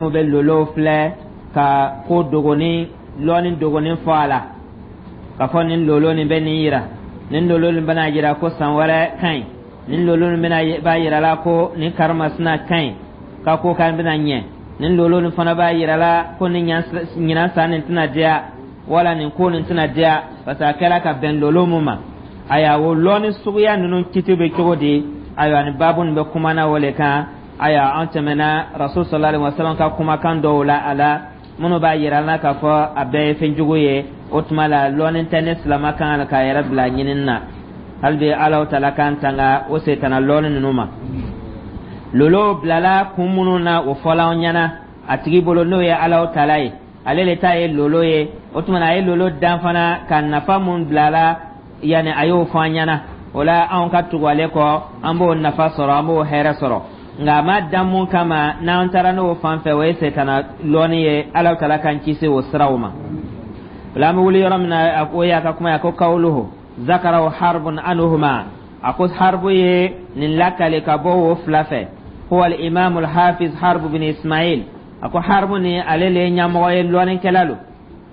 Bɛ lolow filɛ ka ko dogonin, lɔnni dogonin fɔ a la, ka fɔ nin lolo nin bɛ nin yira, nin lolo nin bɛna yira ko san wɛrɛ ka ɲi, nin lolo nin bɛna b'a yira la ko nin karimasina ka ɲi, ka ko kan bɛna ɲɛ, nin lolo nin fana b'a yira la ko nin ɲinan san nin tɛna diya, wala nin ko nin tɛna diya, parce que a kɛra ka bɛn lolo mun ma. Ayiwa, o lɔnni suguya ninnu kiti bɛ cogo di? Ayiwa, nin baabu nin bɛ kumana o le kan. Ayiwa, an tɛmɛna Rasul sallallahu alaihi wasallam ka kumakan dɔw la a la, minnu b'a yira an na k'a fɔ a bɛɛ ye fɛn jugu ye. O tuma la, lɔnni tɛ ne silama kan k'a yɛrɛ bila ɲinini na. Hali bi, Alahu taala k'an tanga o setana lɔnni ninnu ma. Lolo bilala kun minnu na, o fɔla an ɲɛna. A tigi bolo, n'o ye Alahu taala ye, ale le ta ye lolo ye. O tuma na, a ye lolo dan fana ka nafa mun bila la, yanni a y'o fɔ an ɲɛna. O la, anw ka tugu ale kɔ, an b'o nafa sɔrɔ, an b'o hɛrɛ sɔrɔ. Nka a ma dan mun kama, n'an taara n'o fan fɛ, o ye setana lɔnni ye. Ala taala k'an kisi o siraw ma. O la, an bɛ wuli yɔrɔ min na, o y'a ka kuma ye. A ko: kawuluhu zakarahu harbun anhuma. A ko Harbu ye nin lakale ka bɔ o fila fɛ. Huwa al-imam al-hafiz Harbu bin Ismail. A ko Harbu ni ale le ye ɲɛmɔgɔ ye, lɔnnikɛla lo,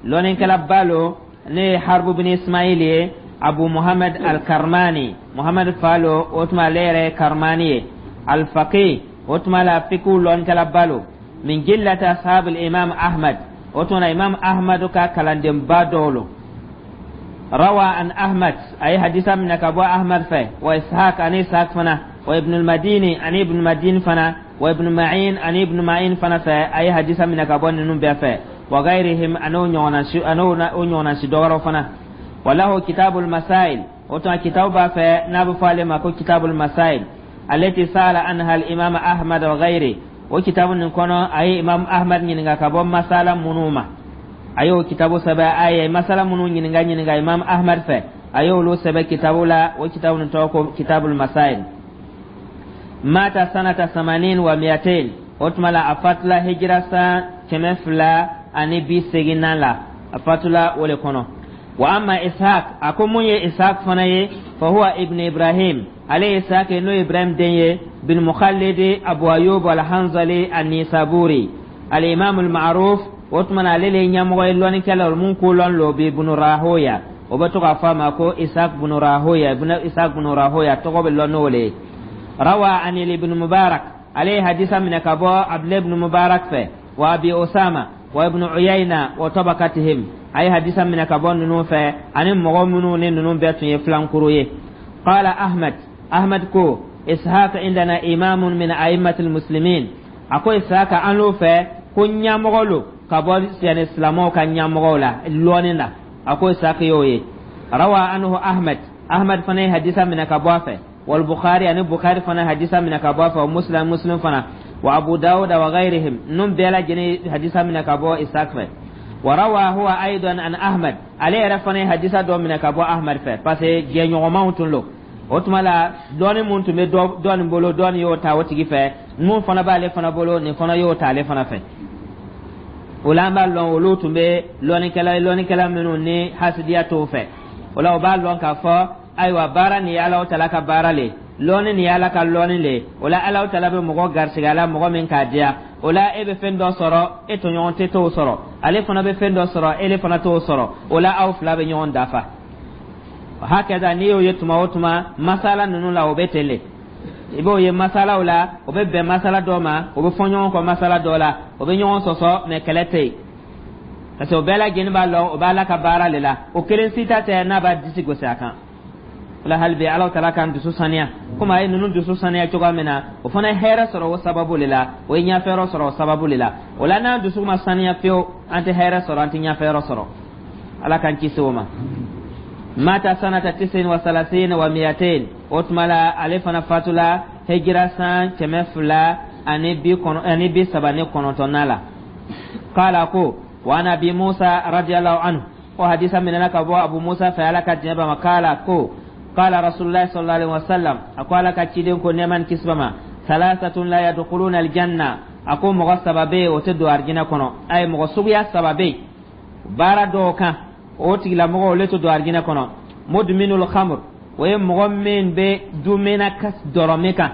lɔnnikɛlaba lo. Ne ye Harbu bin Ismail ye, Abu Muhammad al-Karmani, Muhammad fa lo. O tuma, ale yɛrɛ ye Karmani ye, al-faqih. O tuma la, fiqh lɔnnikɛlaba lo, min jillati ashab al-imam Ahmad. O tuma na, Imam Ahmad ka kalandenba dɔw lo. Rawa an Ahmad, a ye hadisa minɛ ka bɔ Ahmad fɛ, wa Ishaq, ani Ishaq fana, wa Ibn al-Madini, ani Ibn Madini fana, wa Ibn Ma'in, ani Ibn Ma'in fana fɛ. A ye hadisa minɛ ka bɔ ninnu bɛɛ fɛ, wa gairihim, an'o ɲɔgɔnna si, an'o ɲɔgɔnna si dɔwɛrɛw fana. Wa lahu kitabul masail. O tuma, kitabu b'a fɛ n'a bɛ fɔ ale ma ko kitabul masail allati sala anha al imam Ahmad wa ghairi. O kitabu nin kɔnɔ, a ye Imam Ahmad ɲininka ka bɔ masala minnu ma, a y'o kitabu sɛbɛn. A ye masala minnu ɲininka Imam Ahmad fɛ, a y'olu sɛbɛn kitabu la. O kitabu nin tɔgɔ ko kitabul masail. Mata sanata 280. O tuma la, a fatula hijira san 280nan la, a fatula o le kɔnɔ. Wa amma Ishaq, a ko mun ye Ishaq fana ye, fa huwa ibn Ibrahim. Ale ye Ishaq ye, n'o ye Ibrahim den ye, bin Mukhalid Abu Ayyub al-Hanzali an-Nisaburi al-imam al-ma'ruf. O tuma na, ale le ye ɲɛmɔgɔ ye, lɔnnikɛla mun ko lɔn lo bi ibn Rahoya. O bɛ to k'a fɔ a ma ko Ishaq ibn Rahoya, Ishaq ibn Rahoya tɔgɔ bɛ lɔn n'o le ye. Rawa an ibn Mubarak, ale ye hadisa minɛ ka bɔ Abdullah ibn Mubarak fɛ, wa Abi Osama wa Ibn Uyayna wa tabakatihim. A ye hadisa minɛ ka bɔ ninnu fɛ, ani mɔgɔ minnu ni ninnu bɛɛ tun ye filankuru ye. Qala Ahmad, Ahmad ko: Ishaq indana imamun min a'immatil muslimin. A ko Ishaq an l'o fɛ ko ɲɛmɔgɔ lo ka bɔ yani silamɛw ka ɲɛmɔgɔw la lɔnni na. A ko Ishaq y'o ye. Rawa anhu Ahmad, Ahmad fana ye hadisa minɛ ka bɔ a fɛ, wal Bukhari, ani Bukhari fana hadisa minɛ ka bɔ a fɛ, wa Muslim, Muslim fana, wa Abu Dawud wa ghayrihim. Ninnu bɛɛ lajɛlen hadisa minɛ ka bɔ Ishaq fɛ. Wa rawa huwa aidan an Ahmad, ale yɛrɛ fana ye hadisa dɔ minɛ ka bɔ Ahmad fɛ, parce que jɛɲɔgɔnmaw tun lo. O tuma la, dɔɔni mun tun bɛ dɔ nin bolo, dɔ nin y'o ta o tigi fɛ. Mun fana b'ale fana bolo, nin fana y'o ta ale fana fɛ. O la, an b'a lɔn olu tun bɛ lɔnnikɛla ye, lɔnnikɛla minnu ni hasidiya t'o fɛ. O la, o b'a lɔn k'a fɔ ayiwa, baara nin ye Alahu taala ka baara le, lɔnni nin ye Ala ka lɔnni le. O la, Alahu taala bɛ mɔgɔ garisigɛ a la, mɔgɔ min k'a diya. O la, e bɛ fɛn dɔ sɔrɔ, e tɔɲɔgɔn tɛ t'o sɔrɔ. Ale fana bɛ fɛn dɔ sɔrɔ, ele fana t'o sɔrɔ. O la, aw fila bɛ ɲɔgɔn dafa. Hakɛda n'i y'o ye tuma o tuma, masala ninnu la, o bɛ ten le. I b'o ye masalaw la, o bɛ bɛn masala dɔ ma, o bɛ fɔ ɲɔgɔn kɔ masala dɔ la, o bɛ ɲɔgɔn sɔsɔ, mɛ kɛlɛ tɛ yen, parce que o bɛɛ lajɛlen b'a lɔn o b'a la ka baara le la. O kelen si ta tɛ n'a b'a disi gosi a kan. O la, hali bi, Ala taala k'an dusu saniya, komi a ye ninnu dusu saniya cogoya min na. O fana ye hɛrɛ sɔrɔ o sababu le la, o ye ɲɛfɛyɔrɔ sɔrɔ o sababu le la. O la, n'an dusu ma saniya fiyewu, an tɛ hɛrɛ sɔrɔ, an tɛ ɲɛfɛyɔrɔ sɔrɔ. Ala k'an kisi o ma. Mata sanata 239. O tuma la, ale fana fatula hijira san 239nan la. Kala ko wa an Abi Musa radiyallahu anhu, ko hadisa minɛna ka bɔ Abu Musa fɛ, Ala ka diɲɛ b'a ma. Kala ko qala Rasulullah sallallahu alaihi wasallam, a ko Ala ka ciden ko, nɛɛma ni kisi b'a ma: salasatun la yadkhuluna aljanna. A ko mɔgɔ saba bɛ yen, o tɛ don arijinɛ kɔnɔ. A ye mɔgɔ suguya saba bɛ yen, baara dɔw kan, o tigilamɔgɔ, olu tɛ don arijinɛ kɔnɔ. Mudminul khamr, o ye mɔgɔ min bɛ dumina dɔrɔmɛ kan,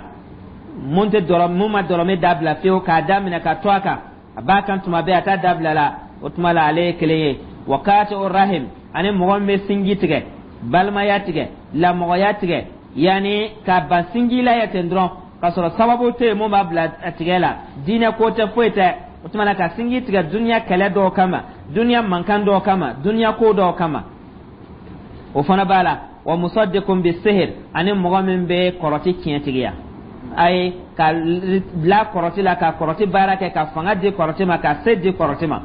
mun tɛ dɔrɔ, mun ma dɔrɔmɛ dabila fiyewu, k'a daminɛ ka to a kan. A b'a kan tuma bɛɛ, a t'a dabila la. O tuma la, ale ye kelen ye. Wa kati'u rahim, ani mɔgɔ min bɛ sinji tigɛ, balimaya tigɛ, lamɔgɔya tigɛ, yanni ka ban sinji la yɛ ten dɔrɔn, k'a sɔrɔ sababu tɛ yen mun b'a bila a tigɛ la, diinɛ ko tɛ, foyi tɛ. O tuma na, ka sinji tigɛ duniya kɛlɛ dɔw kama, duniya mankan dɔw kama, duniya ko dɔw kama, o fana b'a la. Wa musaddiqun bi sihir, ani mɔgɔ min bɛ kɔrɔti tiɲɛtigiya, ayi, ka bila kɔrɔti la, ka kɔrɔti baara kɛ, ka fanga di kɔrɔti ma, ka se di kɔrɔti ma.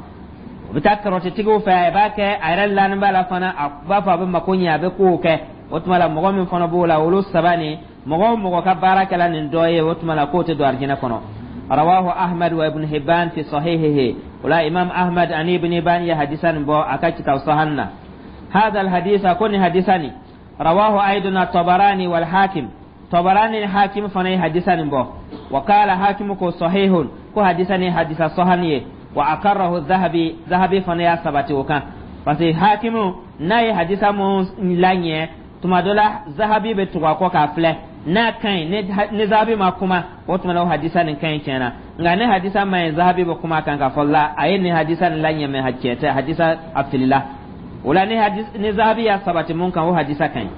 O bɛ taa kɔrɔtitigiw fɛ, a b'a kɛ, a yɛrɛ lanin b'a la fana, a b'a fɔ a bɛ mako ɲɛ, a bɛ kow kɛ. O tuma la, mɔgɔ min fana b'o la, olu saba nin, mɔgɔ o mɔgɔ ka baara kɛla nin dɔ ye, o tuma la k'o tɛ don arijinɛ kɔnɔ. Rawahu Ahmad wa Ibn Hibban fi sahihihi. O la, Imam Ahmad ani Ibn Hibban ye hadisa nin bɔ a ka kitabu sahan na. Hadha alhadisa, ko nin hadisa nin, rawahu aidan at-Tabarani wal Hakim. Tabarani ni Hakim fana ye hadisa nin bɔ. Wa qala Hakim, ko sahihun, ko hadisa ni hadisa sahan ye. Wa aqarrahu Zahabi, Zahabi fana y'a sabati o kan, parce que Hakimu n'a ye hadisa mun laɲɛ, tuma dɔ la Zahabi bɛ tugu a kɔ k'a filɛ n'a ka ɲi. Ni Zahabi ma kuma, o tuma la o hadisa nin ka ɲi tiɲɛ na. Nka ni hadisa ma ɲi, Zahabi bɛ kuma kan k'a fɔ la a ye nin hadisa nin laɲɛ, mɛ tiɲɛ tɛ, hadisa a filila. O la, ni Zahabi y'a sabati mun kan, o hadisa ka ɲi.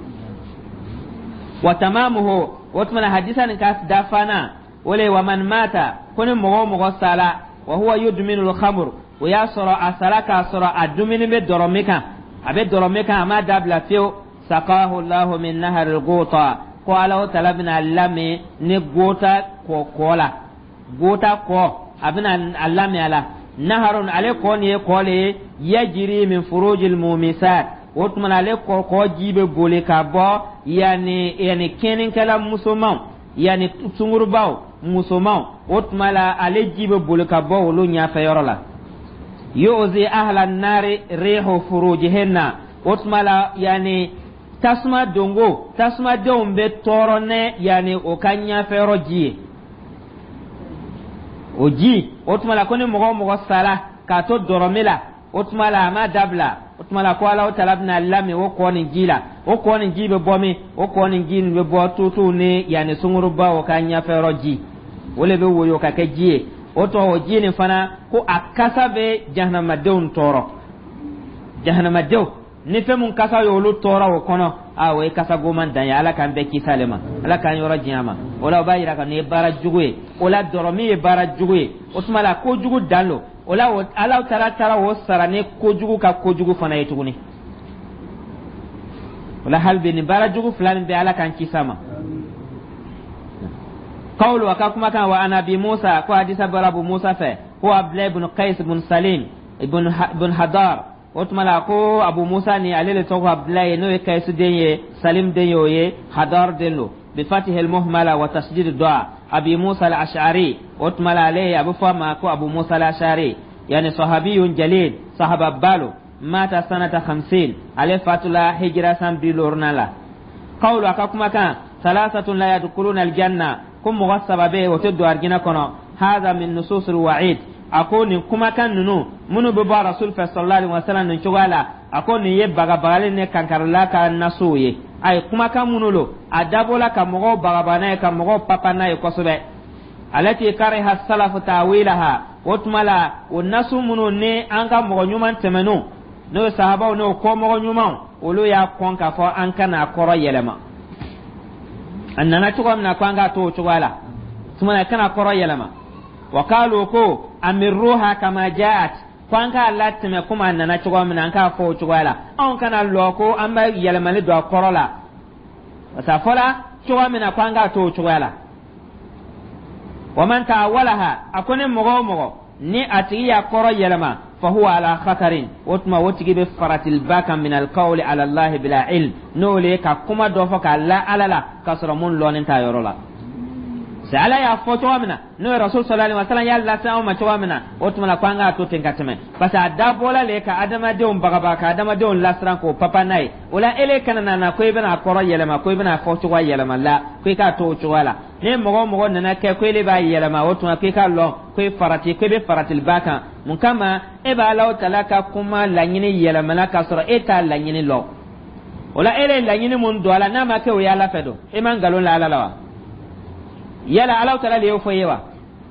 Wa tamamuhu, o tuma na hadisa nin ka dafana o le: wa man mata, ko ni mɔgɔ o mɔgɔ sala, wa huwa yudminu al-khamr, o y'a sɔrɔ a sara k'a sɔrɔ a dumuni bɛ dɔrɔmɛ kan, a bɛ dɔrɔmɛ kan, a m'a dabila fiyewu, saqahu Allahu min nahar al-Gota, ko Ala tala bɛna lamin ni Gota kɔ la, Gota kɔ, a bɛna a lamin a la. Naharun, ale kɔ nin ye kɔ le ye, yajiri min furujil mumisat. O tuma na, ale kɔ ji bɛ boli ka bɔ yanni kɛnnikɛla musomanw, yanni sungurubaw musomanw. O tuma la, ale ji bɛ boli ka bɔ olu ɲɛfɛ yɔrɔ la. Yu'zi ahla nari rihu furujihinna. O tuma la, yanni tasuma dongo, tasumadenw bɛ tɔɔrɔ ne yanni o ka ɲɛfɛ yɔrɔ ji ye, o ji. O tuma la, ko ni mɔgɔ o mɔgɔ sara k'a to dɔrɔmi la, o tuma la a ma dabila, o tuma la ko Ala tala bɛna lamin o kɔ nin ji la. O kɔ nin ji bɛ bɔ min? O kɔ nin ji nin bɛ bɔ tutuw ni yanni sungurubaw ka ɲɛfɛ yɔrɔ ji, o le bɛ woyo ka kɛ ji ye. O tɔ, o ji nin fana, ko a kasa bɛ jahanamadenw tɔɔrɔ. Jahanamadenw ni fɛn mun kasa ye olu tɔɔrɔ o kɔnɔ, a o ye kasa goman dan ye. Ala k'an bɛɛ kisi ale ma, Ala k'an yɔrɔ diɲɛ ma. O la, o b'a yira ka nin ye baara jugu ye. O la, dɔrɔmi ye baara jugu ye. O tuma la, kojugu dan don. O la, Ala taara o sara ni kojugu ka kojugu fana ye tuguni. O la, hali bi nin baara jugu fila nin bɛ, Ala k'an kisi a ma. Qawlu, a ka kumakan, wa an Abi Musa, ko hadisa bɔra Abu Musa fɛ, ko Abdulayi ibn Qais ibn Salim ibn Hadar. O tuma la, ko Abu Musa ni ale le tɔgɔ Abdulayi, n'o ye Kaisu den ye, Salim den ye, o ye Hadar den don. Bi fatihi al-muhmala wa tasdid du'a, Abi Musa al-Ash'ari. O tuma la, ale a bɛ fɔ a ma ko Abu Musa al-Ash'ari, yani sahabiyun jalil, sahaba balo, mata sanata 50, ale fatula hijra san 50 la. Qawlu, a ka kumakan, salasatun la yadkhuluna aljanna, ko mɔgɔ saba bɛ yen, o tɛ don arijinɛ kɔnɔ. Hadha min nusus alwa'id. A ko nin kumakan ninnu minnu bɛ bɔ Rasul fɛ sallallahu alaihi wasallam nin cogoya la, a ko nin ye bagabagali ni kankarila ka nasuw ye. A ye kumakan minnu lo, a dabɔla ka mɔgɔw bagabaga n'a ye, ka mɔgɔw papa n'a ye kosɛbɛ. Alati kariha salafu ta'wilaha. O tuma la, o nasu minnu ni an ka mɔgɔ ɲuman tɛmɛnw, n'o ye sahabaw, n'o kɔmɔgɔ ɲumanw, olu y'a kɔn k'a fɔ an kana kɔrɔ yɛlɛma. A nana cogo min na, ko an k'a to o cogoya la. Tuma na, kana kɔrɔ yɛlɛma. Wa kalu, ko amirruha kama ja'at, ko an k'a latɛmɛ komi a nana cogo min na, an k'a fɔ o cogoya la, anw kana lɔ ko an bɛ yɛlɛmali don a kɔrɔ la, parce que a fɔla cogoya min na, ko an k'a to o cogoya la. Wa man ta'awwalaha, a ko ni mɔgɔ o mɔgɔ ni a tigi y'a kɔrɔ yɛlɛma, fa huwa ala khatarin, o tuma o tigi bɛ faratilba kan, min alqawli ala Allahi bila ilm, n'o le ye ka kuma dɔ fɔ k'a la Ala la k'a sɔrɔ mun lɔnnen t'a yɔrɔ la. C'est Ala y'a fɔ cogo min na, n'o ye Rasul sallallahu alaihi wasallam y'a lase anw ma cogo min na, o tuma la ko an k'a to ten ka tɛmɛ, parce que a dabɔla le ka adamadenw bagabaga, ka adamadenw lasiran, k'o papa n'a ye. O la, ele kana na ko i bɛna a kɔrɔ yɛlɛma, ko i bɛna a fɔ cogoya yɛlɛma la, ko i k'a to o cogoya la. Ni mɔgɔ o mɔgɔ nana kɛ ko ele b'a yɛlɛma, o tuma k'i k'a lɔn ko i farati, ko i bɛ faratiliba kan. Mun kama e b'a Ala tala ka kuma laɲini yɛlɛmana k'a sɔrɔ e t'a laɲini lɔn? O la, e ye laɲini mun don a la, n'a ma kɛ o ye Ala fɛ don, e ma nkalon la Ala la wa? Yala Ala tala de y'o fɔ i ye wa?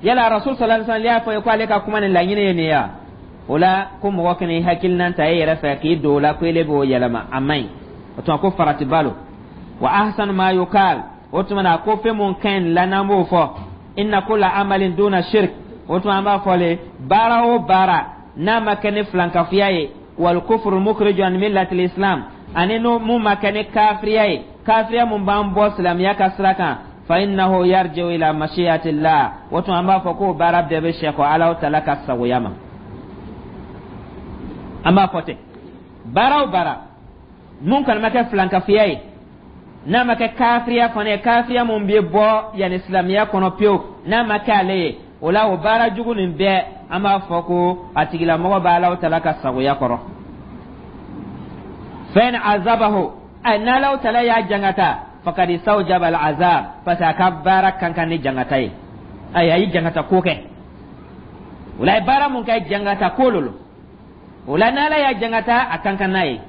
Yala Rasul sallallahu alaihi wasallam y'a fɔ ye ko ale ka kuma ni laɲini ye nin ye wa? O la, ko mɔgɔ kana i hakilinan ta e yɛrɛ fɛ k'i don o la ko ele b'o yɛlɛma, a man ɲi. O tuma ko faratiba lo. Wa ahsanu ma yukal, o tuma na ko fɛn mun ka ɲi la n'an b'o fɔ, inna kulla amalin duna shirk, o tuma an b'a fɔ le, baara o baara n'a ma kɛ ni filankafoya ye, wal kufru mukhriju an millati islam, ani n'o mun ma kɛ ni kafiriya ye, kafiriya mun b'an bɔ silamɛya ka sira kan, fa innahu yarji'u ila mashiyatillah, o tuma an b'a fɔ k'o baara bɛɛ bɛ sɛkɔ Alahu Taala ka sagoya ma. An b'a fɔ ten, baara o baara mun kɔni ma kɛ filankafoya ye, n'a ma kɛ kafiriya fana ye, kafiriya mun bɛ bɔ yanni silamɛya kɔnɔ pewu, n'a ma kɛ ale ye, o la o baara jugu nin bɛɛ, an b'a fɔ ko a tigilamɔgɔ bɛ Alahu Taala ka sagoya kɔrɔ. Fa in azabahu, ɛ, n'Alahu Taala y'a jangata, fakad istawjaba al azab, parce que a ka baara kan kan ni jangata ye. Ayi, a ye jangata ko kɛ. O la, a ye baara mun kɛ, jangata ko lo. O la, n'Ala y'a jangata, a kan kan n'a ye.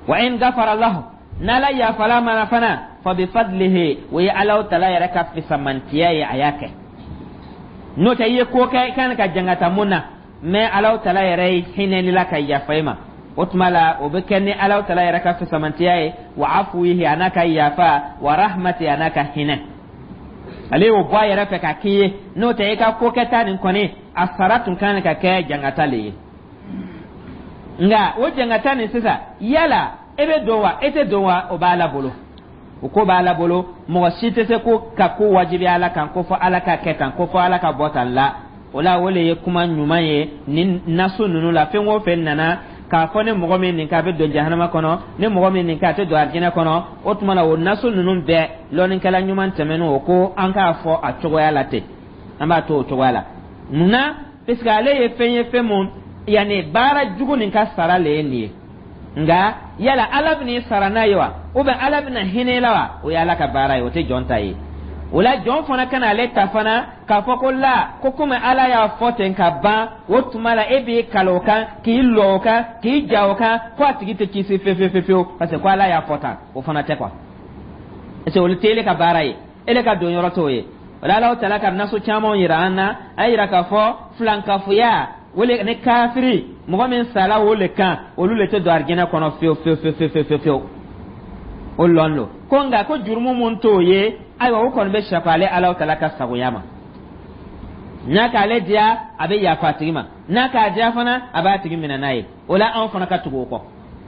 Wa in gafara lahu, n'Ala yafala mana fana, fa bi fadlihi, o ye Alahu Taala yɛrɛ ka fisamantiya ye a y'a kɛ. N'o tɛ, i ye ko kɛ i kan ka jangata mun na, mais Alahu Taala yɛrɛ ye hinɛ la ka yafa i ma, o tuma la o bɛ kɛ ni Alahu Taala yɛrɛ ka fisamantiya ye, wa afuwihi, a n'a ka yafa, wa rahmati, a n'a ka hinɛ. Ale y'o bɔ a yɛrɛ fɛ ka k'i ye. N'o tɛ, i ka ko kɛta nin kɔni, a sara tun kan ka kɛ jangata le ye. Nka o jangata nin sisan, yala e bɛ don wa, e tɛ don wa, o b'Ala bolo, o ko b'Ala bolo. Mɔgɔ si tɛ se ko ka ko wajibi Ala kan, ko fɔ Ala ka kɛ tan, ko fɔ Ala ka bɔ tan la. O la, o le ye kuma ɲuman ye ni nasu ninnu la. Fɛn o fɛn nana k'a fɔ ni mɔgɔ min nin k'a bɛ don jahanama kɔnɔ, ni mɔgɔ min nin k'a tɛ don arijinɛ kɔnɔ, o tuma la o nasu ninnu bɛɛ, lɔnnikɛla ɲuman tɛmɛnen, o ko an k'a fɔ a cogoya la ten, an b'a to o cogoya la. Munna? Parce que ale ye fɛn ye, fɛn mun yanni baara jugu nin ka sara le ye nin ye. Nka yala Ala bɛn'i sara n'a ye wa, ou bien Ala bɛna hinɛ i la wa, o ye Ala ka baara ye, o tɛ jɔn ta ye. O la, jɔn fana kana ale ta fana k'a fɔ ko la ko komi Ala y'a fɔ ten ka ban, o tuma la e b'i kali o kan, k'i lɔ o kan, k'i ja o kan, ko a tigi tɛ kisi fewu fewu fewu, parce que ko Ala y'a fɔ tan. O fana tɛ quoi, parce que olu tɛ ele ka baara ye, ele ka don yɔrɔ t'o ye. O la, Ala Taala ka naso caman yira an na, a yira k'a fɔ filankafoya wele ni kafiri, mɔgɔ min sala o le kan, olu le tɛ don arijinɛ kɔnɔ fewu fewu fewu fewu fewu fewu. O lɔn lo ko nka ko jurumu mun t'o ye, ayiwa, o kɔni bɛ sɛkɔ ale Ala Taala ka sagoya ma. N'a k'ale diya, a bɛ yafa a tigi ma, n'a k'a diya fana, a b'a tigi minɛ n'a ye. O la, anw fana ka tugu o kɔ.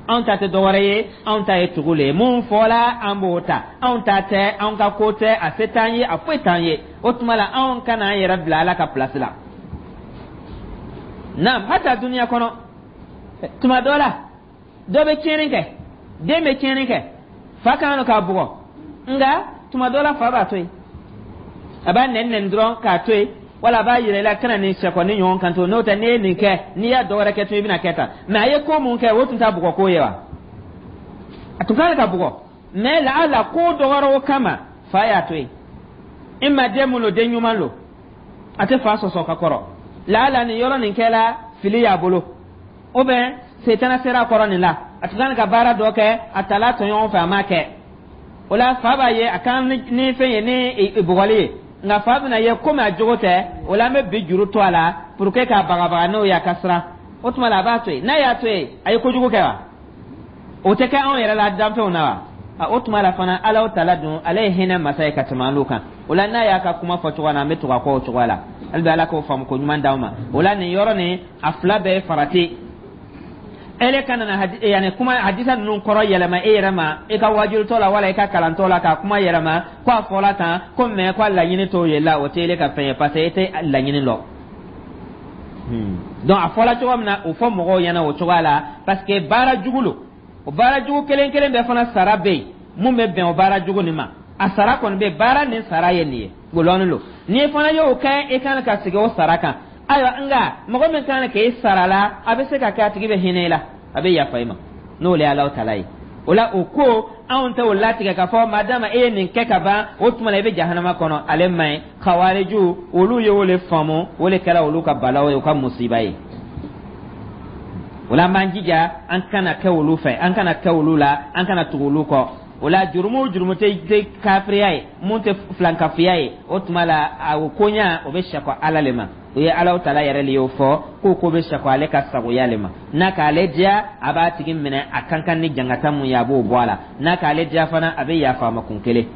Anw ta tɛ dɔwɛrɛ ye, anw ta ye tugu le ye. Mun fɔla, an b'o ta. Anw ta tɛ, anw ka ko tɛ, a se t'an ye, a foyi t'an ye. O tuma la, anw kana an yɛrɛ bila Ala ka pilasi la. Naam, hata duniya kɔnɔ, tuma dɔ la, dɔ bɛ tiɲɛni kɛ, den bɛ tiɲɛni kɛ, fa kan k'a bugɔ. Nka tuma dɔ la, fa b'a to yen, a b'a nɛni nɛni dɔrɔn k'a to yen, wala a b'a yira i la kana nin sɛkɔni ɲɔgɔn kan to. N'o tɛ, n'i ye nin kɛ, n'i y'a dɔwɛrɛ kɛ tun, i bɛna kɛ tan. Mais a ye ko mun kɛ, o tun t'a bugɔ ko ye wa? A tun kan ka bugɔ, mais laala ko dɔ wɛrɛw kama, fa y'a to yen. I ma den mun lo, den ɲuman lo, a tɛ fa sɔsɔ ka kɔrɔ. Laala nin yɔrɔ nin kɛla fili y'a bolo, ou bien setana sera a kɔrɔ nin la, a tun kan ka baara dɔ kɛ, a tala tɔɲɔgɔn fɛ, a m'a kɛ. O la, fa b'a ye a kan ni fɛn ye, ni bugɔli ye. Nka fa bɛna ye komi a jogo tɛ, o la an bɛ bi juru to a la pour que k'a bagabaga n'o ye, a ka siran. O tuma la, a b'a to yen. N'a y'a to yen, a ye kojugu kɛ wa? O tɛ kɛ anw yɛrɛ la danfɛnw na wa? O tuma la fana, Ala Taala dun, ale ye hinɛ masa ye ka tɛmɛ an kan. O la, n'a y'a ka kuma fɔ cogoya na, an bɛ tugu a kɔ o cogoya la. Hali bi, Ala k'o faamu ko ɲuman d'anw ma. O la, nin yɔrɔ nin, a fila bɛɛ ye farati. Ele kana na yani kuma hadisa ninnu kɔrɔ yɛlɛma e yɛrɛ ma, i ka wajulutɔ la wala i ka kalantɔ la, ka kuma yɛlɛma ko a fɔla tan ko, mais ko a laɲini t'o ye la, o tɛ ele ka fɛn ye, parce que e tɛ laɲini lɔ. Donc a fɔla cogo min na, o fɔ mɔgɔw ɲɛna o cogoya la, parce que baara jugu lo. O baara jugu kelen kelen bɛɛ fana sara bɛ yen mun bɛ bɛn o baara jugu nin ma. A sara kɔni bɛ baara nin sara ye nin ye, golɔni lo. N'i fana y'o kɛ, i kan ka sigi o sara kan. Ayiwa, nka mɔgɔ min kan k'e sara la, a bɛ se ka kɛ a tigi bɛ hinɛ i la, a bɛ yafa i ma, n'o le ye Alahu Taala ye. O la, o ko anw tɛ o latigɛ k'a fɔ madama e ye nin kɛ ka ban, o tuma la i bɛ jahanama kɔnɔ. Ale man ɲi. Kawariju, olu ye o le faamu, o le kɛra olu ka balaw ye, o ka musiba ye. O la, an b'an jija an kana kɛ olu fɛ, an kana kɛ olu la, an kana tugu olu kɔ. O la, jurumu o jurumu tɛ kafiriya ye, mun tɛ filankafiya ye, o tuma la a o koɲa o bɛ sakɔ Ala le ma. O ye Alahu Taala yɛrɛ le y'o fɔ k'o ko bɛ sakɔ ale ka sagoya le ma. N'a k'ale diya, a b'a tigi minɛ a kan kan ni jangata mun ye, a b'o bɔ a la. N'a k'ale diya fana, a bɛ yafa a ma kun kelen.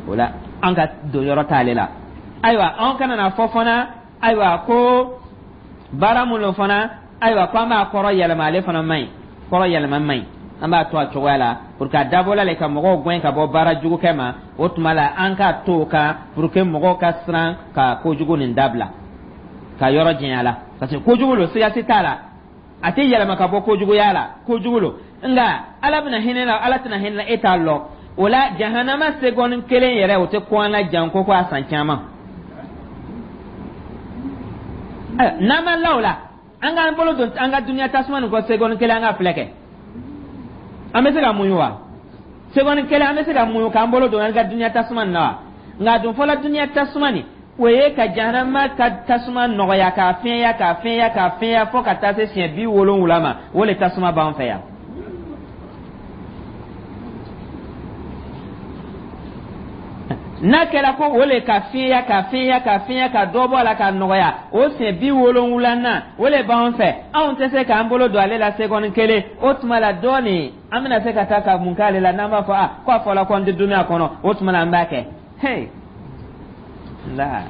O la, an ka don yɔrɔ t'ale la. Ayiwa, an kana na fɔ fana, ayiwa, ko baara mun lo fana, ayiwa, ko an b'a kɔrɔ yɛlɛma, ale fana man ɲi. Kɔrɔ yɛlɛma man ɲi, an b'a to a cogoya la pour que a dabɔla le ka mɔgɔw gɛn ka bɔ baara jugu kɛ ma. O tuma la, an k'a to o kan pour que mɔgɔw ka siran ka kojugu nin dabila, ka yɔrɔ janya la, parce que kojugu lo, siga si t'a la, a tɛ yɛlɛma ka bɔ kojuguya la, kojugu lo. Nka Ala bɛna hinɛ la, Ala tɛna hinɛ la, e t'a lɔn. O la, jahanama seconde kelen yɛrɛ, o tɛ ko an la janko ko a san caman. N'an ma la o la, an k'an bolo don an ka duniya tasuma nin kɔ seconde kelen, an ka filɛ kɛ, an bɛ se ka muɲu wa? Seconde kelen, an bɛ se ka muɲu k'an bolo don an ka duniya tasuma nin na wa? Nka dun fɔlɔ, duniya tasuma nin, o ye ka jahanama ka tasuma nɔgɔya, k'a fiɲɛya, k'a fiɲɛya, k'a fiɲɛya fo ka taa se siɲɛ 70 ma. O le tasuma b'an fɛ yan. N'a kɛra ko o le ka fiɲɛya, ka fiɲɛya, ka fiɲɛya, ka dɔ bɔ a la, ka nɔgɔya, o siɲɛ 70nan, o le b'an fɛ. Anw tɛ se k'an bolo don ale la seconde kelen. O tuma la, dɔɔnin an bɛna se ka taa ka mun k'ale la, n'an b'a fɔ a ko a fɔla ko an tɛ dumuni a kɔnɔ, o tuma la an b'a kɛ. Hey la,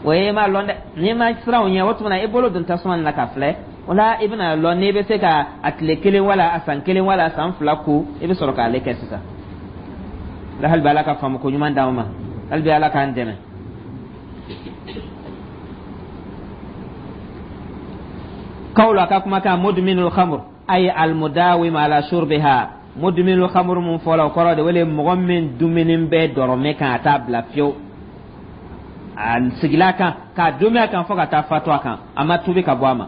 o ye ma lɔn dɛ. N'i ma siran o ɲɛ, o tuma na i bolo don tasuma nin na ka filɛ. O la, i bɛna lɔn n'i bɛ se ka a tile kelen wala a san kelen wala a san 2 ko, i bɛ sɔrɔ k'ale kɛ sisan la. Hali bi, Ala ka faamu ko ɲuman d'anw ma. Hali bi, Ala k'an dɛmɛ. Kawlo, a ka kumakan: mudminul khamr ay almudawim ala shurbiha. Mudminul khamr mun fɔla, o kɔrɔ de wele mɔgɔ min dumuni bɛ dɔrɔmɛ kan, a t'a bila fiyewu, a sigila kan k'a dumi a kan fo ka taa fatu a kan, a ma tubi ka bɔ a ma.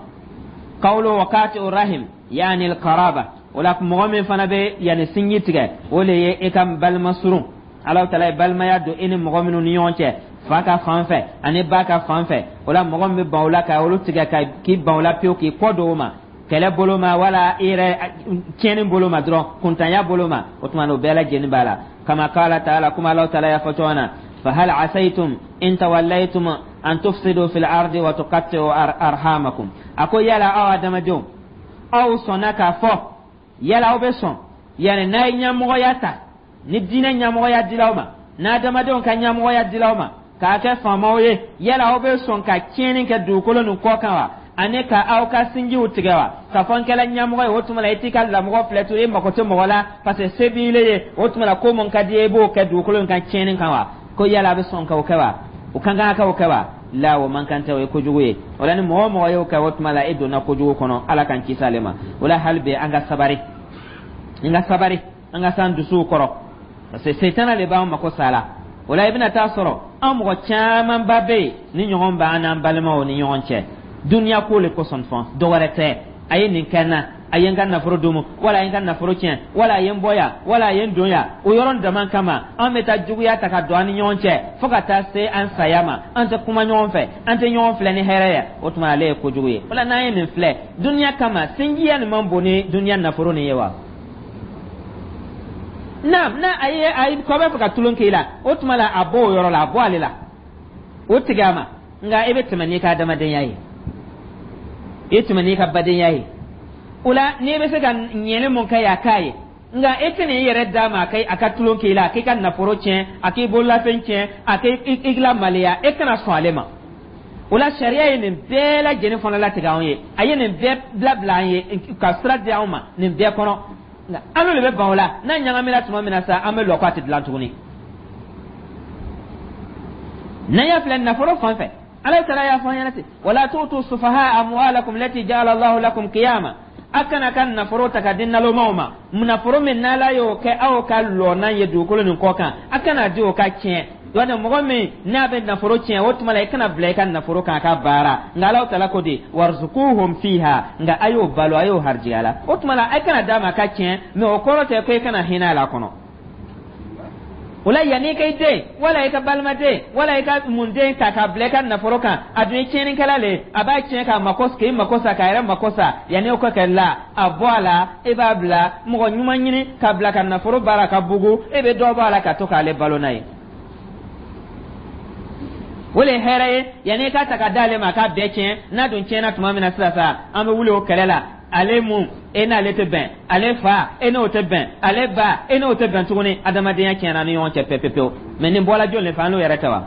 Kawlo wa qati'u rahim, yani alqaraba. O la, mɔgɔ min fana bɛ yanni sinji tigɛ, o le ye e ka balima surun. Ala Taala ye balimaya don e ni mɔgɔ minnu ni ɲɔgɔn cɛ, fa ka fan fɛ ani ba ka fan fɛ, o la mɔgɔ min bɛ ban o la, ka olu tigɛ, ka k'i ban o la pewu, k'i kɔ don o ma, kɛlɛ bolo ma wala i yɛrɛ tiɲɛni bolo ma dɔrɔn, kuntanya bolo ma, o tuma na o bɛɛ lajɛlen b'a la. Kama qala ta'ala, kuma Ala Taala y'a fɔ cogo min na: fahal asaytum in tawallaytum an tufsidu fil ardi wa tuqatti'u arhamakum. A ko yala aw adamadenw, aw sɔnna k'a fɔ, yala aw bɛ sɔn, yani n'a ye ɲɛmɔgɔya ta, ni diinɛ ɲɛmɔgɔya dila aw ma, n'adamadenw ka ɲɛmɔgɔya dila aw ma k'a kɛ faamaw ye, yala aw bɛ sɔn ka tiɲɛni kɛ dugukolo nin kɔ kan wa, ani ka aw ka sinjiw tigɛ wa? K'a fɔ n kɛla ɲɛmɔgɔ ye, o tuma la i t'i ka lamɔgɔ filɛ to, i mako tɛ mɔgɔ la, parce que se b'i ye, o tuma la ko mun ka di ye, i b'o kɛ dugukolo in kan tiɲɛni kan wa? Ko yala a bɛ sɔn k'o kɛ wa? O kan ka k'o kɛ wa? La, o man kan tɛ, o ye kojugu ye. O la, ni mɔgɔ o mɔgɔ y'o kɛ, o tuma la e donna kojugu kɔnɔ. Ala k'an kisi ale ma. O la, hali bi an ka sabari, an ka sabari, an ka s'an dusuw kɔrɔ, parce que setana de b'an mako sa la. O la, i bɛna taa sɔrɔ an mɔgɔ camanba bɛ yen ni ɲɔgɔn b'an n'an balimaw ni ɲɔgɔn cɛ duniya ko le kosɔn, fɔn dɔ wɛrɛ tɛ. A ye nin kɛ n na, a ye n ka nafolo domu, wala a ye n ka nafolo tiɲɛ, wala a ye n bɔ yan, wala a ye n don yan, o yɔrɔ dama kama an bɛ taa juguya ta ka don an ni ɲɔgɔn cɛ fo ka taa se an saya ma. An tɛ kuma ɲɔgɔn fɛ, an tɛ ɲɔgɔn filɛ ni hɛrɛ ye. O tuma ale ye kojugu ye. O la, n'an ye nin filɛ duniya kama, sinjiya nin man bon ni duniya nafolo nin ye wa? Naam, n'a a ye a kɔ bɛ fɛ ka tulon k'i la, o tuma la a bɔ o yɔrɔ la, a bɔ ale la, o tigɛ a ma. Nka e bɛ tɛmɛ n'i ka adamadenya ye, i tɛmɛ n'i ka badenya ye. O la, n'i bɛ se ka ɲɛli mun kɛ ye, a k'a ye. Nka e tɛna i yɛrɛ d'a ma a ka tulon k'i la, a k'i ka nafolo tiɲɛ, a k'i bololafɛn tiɲɛ, a k'i lamaloya, e kana sɔn ale ma. O la, sariya ye nin bɛɛ lajɛlen fana latigɛ anw ye, a ye nin bɛɛ labila an ye, ka sira di anw ma nin bɛɛ kɔnɔ. Nka an n'olu bɛ ban o la, n'a ɲagamina tuma min na sa, an bɛ lɔ ko a tɛ dilan tuguni. N'an y'a filɛ nafolo fan fɛ, Ala Taala y'a fɔ an ɲɛna ten: wala tu'tu sufaha amwalakum lati ja'ala Allahu lakum qiyama. A kana ka nafolo ta ka di nalomaw ma, nafolo min n'Ala y'o kɛ aw ka lɔnan ye dugukolo nin kɔ kan, a kana di o ka tiɲɛ. Wala mɔgɔ min n'a bɛ nafolo tiɲɛ, o tuma la i kana bila i ka nafolo kan a ka baara. Nka Ala Taala ko di: warzuquhum fiha. Nka a y'o balo, a y'o harijigɛ la. O tuma la a kana d'a ma a ka tiɲɛ, mais o kɔrɔ tɛ ko i kana hinɛ a la kɔnɔ. O la, yanni i ka i den wala i ka balimaden wala i ka mun den ta k'a bila i ka nafolo kan, a dun ye tiɲɛnikɛla le ye, a b'a tiɲɛ k'a mako k'i mako sa, k'a yɛrɛ mako sa. Yanni o ka kɛ la, a bɔ a la, e b'a bila mɔgɔ ɲuman ɲini k'a bila ka nafolo baara ka bugu, e bɛ dɔ bɔ a la ka to k'ale balo n'a ye. O le ye hɛrɛ ye, yanni i k'a ta ka d'ale ma a k'a bɛɛ tiɲɛ. N'a dun tiɲɛna tuma min na sisan sa, an bɛ wuli o kɛlɛ la. Ale mun, e n'ale tɛ bɛn, ale fa, e n'o tɛ bɛn, ale ba, e n'o tɛ bɛn tuguni. Adamadenya tiɲɛna ni ɲɔgɔn cɛ pewu pewu. Mɛ nin bɔla jɔn de fɛ? An n'o yɛrɛ tɛ wa?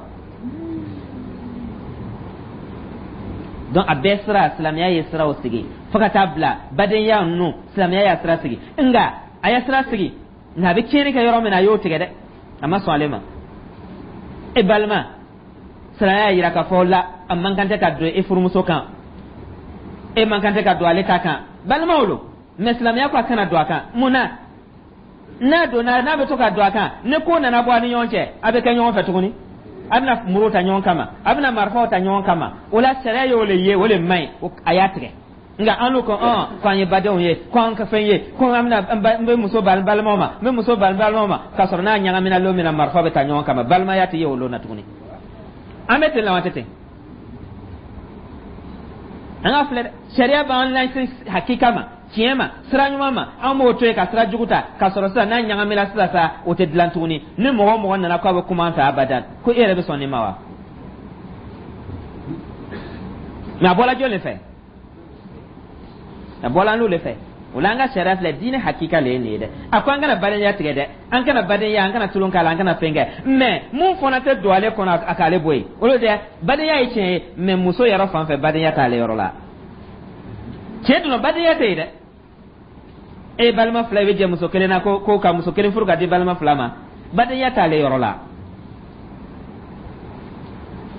Donc a bɛɛ sira, silamɛya ye siraw sigi fo ka taa bila badenya ninnu. Silamɛya y'a sira sigi, nka a ye sira sigi, nka a bɛ tiɲɛni kɛ yɔrɔ min na, a y'o tigɛ dɛ, a ma sɔn ale ma. E balima, silamɛya y'a yira k'a fɔ la, a man kan tɛ ka don e furumuso kan, e man kan tɛ ka don ale ta kan. Balimaw lo, mɛ silamɛya ko a kana don a kan. Mun na? N'a donna, n'a bɛ to ka don a kan, ni ko nana bɔ a ni ɲɔgɔn cɛ, a bɛ kɛ ɲɔgɔn fɛ tuguni, a bɛna muru ta ɲɔgɔn kama, a bɛna marifaw ta ɲɔgɔn kama. O la, sariya y'o le ye, o le man ɲi, a y'a tigɛ. Nka an n'u ko ɔn ko an ye badenw ye, ko an ka fɛn ye, ko an bɛna n bɛ muso bali balimaw ma, n bɛ muso bali balimaw ma, k'a sɔrɔ n'a ɲagamina lon min na, marifa bɛ ta ɲɔgɔn kama, balimaya tɛ ye o lon na tuguni. An bɛ ten la wa? Tɛ ten. An ka filɛ dɛ, sariya b'an lase hakika ma, tiɲɛ ma, sira ɲuman ma, an b'o to yen ka sira jugu ta, k'a sɔrɔ sisan n'a ɲagamina sisan sa, o tɛ dilan tuguni. Ni mɔgɔ o mɔgɔ nana k'a bɛ kuma an fɛ abadan, ko e yɛrɛ bɛ sɔn nin ma wa? Mɛ a bɔla jɔn de fɛ? A bɔla an n'o de fɛ. O la, an ka sariya filɛ, diinɛ hakika le ye nin ye dɛ. A ko an kana badenya tigɛ dɛ, an kana badenya, an kana tulon k'a la, an kana fɛn kɛ, mɛ mun fana tɛ don ale kɔnɔ, a k'ale bɔ yen. O de badenya ye tiɲɛ ye, mɛ muso yɛrɛ fan fɛ, badenya t'ale yɔrɔ la. Tiɲɛ dun, badenya tɛ yen dɛ. E balima fila, i bɛ jɛ muso kelen na, ko ka muso kelen furu ka di balima fila ma, badenya t'ale yɔrɔ la.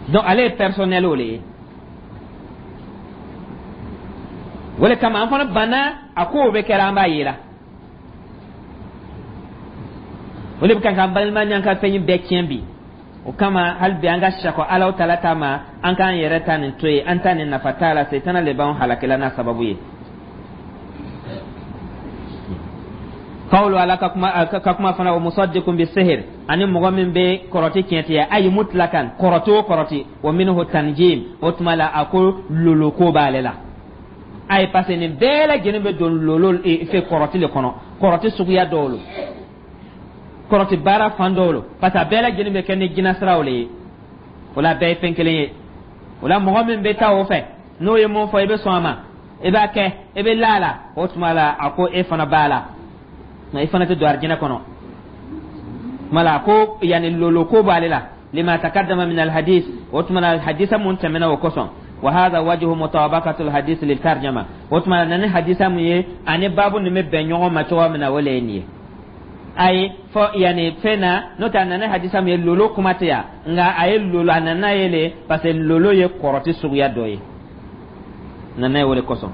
Donc ale ye personnel o le ye. O le kama an fana banna a kow bɛ kɛra, an b'a yira. O le bɛ kan k'an balima n'an ka fɛn bɛɛ tiɲɛ bi. O kama, hali bi an ka sakɔ Alahu taala ta ma, an k'an yɛrɛ ta nin to yen, an ta nin nafa t'a la. Setana le b'an halakila n'a sababu ye. Kawulu ala ka kuma fana, wa musaddiqun bi sihir, ani mɔgɔ min bɛ kɔrɔti tiɲɛtigiya, ayi mutlakan, kɔrɔti o kɔrɔti, wa minhu tanjim. O tuma la, a ko lolo ko b'ale la. Ayi, parce que nin bɛɛ lajɛlen bɛ don lolo fɛ kɔrɔti le kɔnɔ, kɔrɔti suguya dɔw lo, kɔrɔti baara fan dɔw lo, parce que a bɛɛ lajɛlen bɛ kɛ ni jinasiraw le ye. O la, a bɛɛ ye fɛn kelen ye. O la, mɔgɔ min bɛ taa o fɛ, n'o ye mun fɔ, i bɛ sɔn a ma, i b'a kɛ, i bɛ la a la, o tuma la, a ko e fana b'a la, nka i fana tɛ don arijinɛ kɔnɔ. Tuma la, a ko yanni lolo ko b'ale la, lima takaddama min alhadis. O tuma la, hadisa mun tɛmɛna, o kosɔn. Wa hadha wajhu mutabaqatu alhadis lil tarjama. O tuma la, na ni hadisa mun ye ani baabu nin bɛ bɛn ɲɔgɔn ma cogoya min na, o le ye nin ye. Ayi, fɔ yanni fɛn na, n'o tɛ a nana hadisa min ye, lolo kuma tɛ yan, nka a ye lolo, a nana ye le parce que lolo ye kɔrɔti suguya dɔ ye, nana ye o de kosɔn.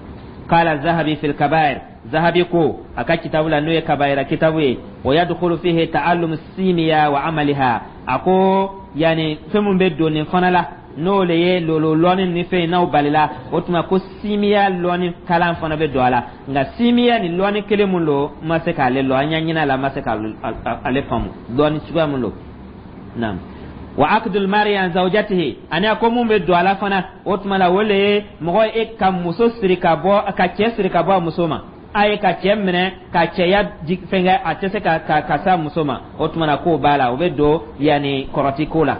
Qala Zahabi fil kabair, Zahabi ko a ka kitabu la, n'o ye kabayira kitabu ye, wa yadkhulu fihi ta'allum simiya wa amaliha. A ko yanni fɛn mun bɛ don nin fana la, n'o le ye lolo lɔni ni fɛn n'aw balila, o tuma ko simiya lɔni kalan fana bɛ don a la. Nka simiya ni lɔni kelen mun don, n ma se k'ale lɔn, an y'a ɲini a la, n ma se k'ale faamu lɔni suguya mun don. Naam, wa akdul mari an zawjatihi, ani a ko mun bɛ don a la fana, o tuma la, o le ye mɔgɔ e ka muso siri ka bɔ, ka cɛ siri ka bɔ a muso ma. A ye ka cɛ minɛ ka cɛya fɛnkɛ, a tɛ se ka s'a muso ma, o tuma na k'o b'a la, o bɛ don yanni kɔrɔti ko la.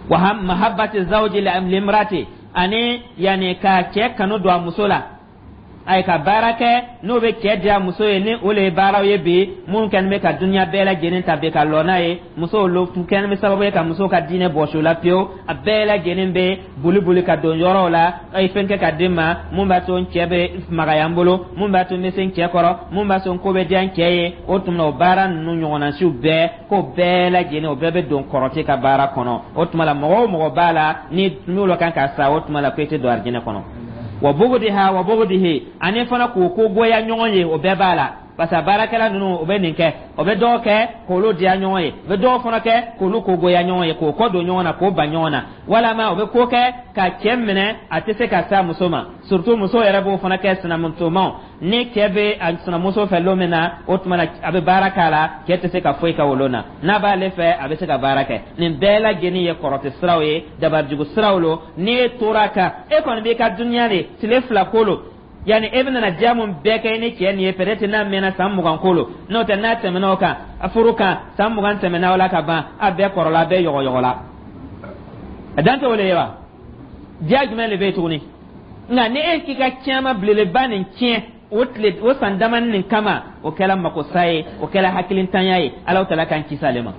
Wa mahabbati zawji limrati, ani yanni ka cɛ kanu don a muso la. A ye ka baara kɛ n'o bɛ cɛ diya muso ye, ni o le ye baaraw ye bi minnu kɛlen bɛ ka dunuya bɛɛ lajɛlen ta bi ka lɔ n'a ye. Musow lo kɛlen bɛ sababu ye ka musow ka diinɛ bɔsi u la pewu. A bɛɛ lajɛlen bɛ boli boli ka don yɔrɔw la, a ye fɛn kɛ ka di ma mun b'a to n cɛ bɛ magaya n bolo, mun b'a to n bɛ se n cɛ kɔrɔ, mun b'a to n ko bɛ diya n cɛ ye. O tuma o baara ninnu ɲɔgɔnna siw bɛɛ, k'o bɛɛ lajɛlen, o bɛɛ bɛ don kɔrɔti ka baara kɔnɔ. O tuma la, mɔgɔ o mɔgɔ b'a la ni n'olu kan ka sa, o tuma la ko i tɛ don arijinɛ kɔnɔ. Wa bugudiha wa bugudihi, ani fana k'o ko goya ɲɔgɔn ye, o bɛɛ b'a la. Parce que baarakɛla ninnu, o bɛ nin kɛ, o bɛ dɔw kɛ k'olu diya ɲɔgɔn ye, o bɛ dɔw fana kɛ k'olu ko goya ɲɔgɔn ye, k'o kɔ don ɲɔgɔn na, k'o ban ɲɔgɔn na, walama o bɛ ko kɛ ka cɛ minɛ, a tɛ se ka se a muso ma. Surtout muso yɛrɛ b'o fana kɛ, sinamusomaw. Ni cɛ bɛ a sinamuso fɛ lon min na, o tuma na a bɛ baara k'a la, cɛ tɛ se ka foyi kɛ o lon na. N'a b'ale fɛ, a bɛ se ka baara kɛ. Nin bɛɛ lajɛlen ye kɔrɔtɛ siraw ye, dabarijugu siraw lo. N'e tora kan, e kɔni b'i ka duniya de tile 2 ko lo. Yani e bɛna diya mun bɛɛ kɛ i ni cɛ nin ye, peut-être n'a mɛnna, san 20 ko lo. N'o tɛ, n'a tɛmɛna o kan, a furu kan, san 20 tɛmɛna o la ka ban, a bɛɛ kɔrɔla, a bɛɛ yɔgɔyɔgɔ la, a dan tɛ o le ye wa? Diya jumɛn de bɛ yen tuguni? Nka ni e k'i ka caman belebeleba nin tiɲɛ o tile, o san damani nin kama, o kɛra makosa ye, o kɛra hakilintanya ye. Ala tala k'an kisi ale ma.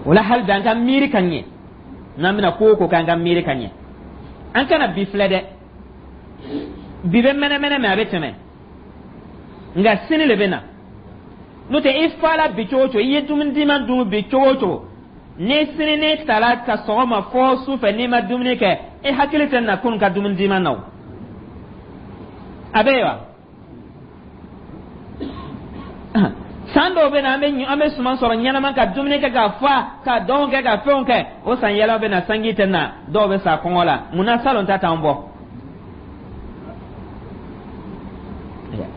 O la, hali bi an ka miiri ka ɲɛ. N'an bɛna ko o ko kɛ, an ka miiri ka ɲɛ. An kana bi filɛ dɛ. Bi bɛ mɛnɛmɛnɛ mɛ, a bɛ tɛmɛ, nka sini le bɛ na. N'o tɛ, i fa la bi cogo o cogo, i ye dumuni diman dun bi cogo o cogo, ni sini ne tala ka sɔgɔma fɔ su fɛ, n'i ma dumuni kɛ, e hakili tɛ na kunun ka dumuni diman na. O a bɛ yen wa? San dɔw bɛ na, an bɛ suman sɔrɔ ɲɛnama, ka dumuni kɛ ka fa, ka dɔnw kɛ, ka fɛnw kɛ. O san yɛlɛma bɛ na, sanji tɛ na, dɔw bɛ sa kɔngɔ la. Munna salon ta t'an bɔ?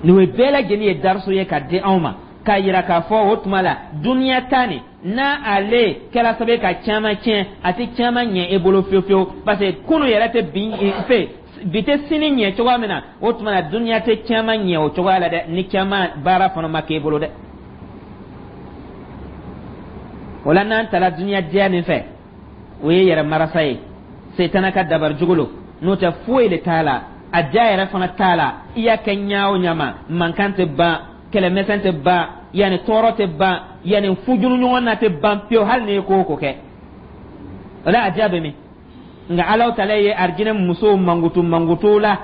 Nin ye bɛɛ lajɛlen ye dariso ye ka di anw ma, k'a yira k'a fɔ o tuma la, duniya ta nin, n'a ale kɛra sababu ye ka caman tiɲɛ, a tɛ caman ɲɛ e bolo fiyewu fiyewu, parce que kunu yɛrɛ tɛ bi fɛ, bi tɛ sini ɲɛ cogoya min na, o tuma na duniya tɛ caman ɲɛ o cogoya la dɛ, ni caman baara fana ma k'e bolo dɛ. O la, n'an tala duniya diya nin fɛ, o ye yɛrɛ marasa ye, setana ka dabari jugu lo. N'o tɛ, foyi de t'a la, a diya yɛrɛ fana t'a la. I y'a kɛ ɲa o ɲa ma, mankan tɛ ban, kɛlɛmɛsɛn tɛ ban, yanni tɔɔrɔ tɛ ban, yanni fujunu ɲɔgɔn na tɛ ban pewu, hali n'i ye ko o ko kɛ. O la, a diya bɛ min? Nka Alahu taala ye arijinɛ musow mankutu mankutu la.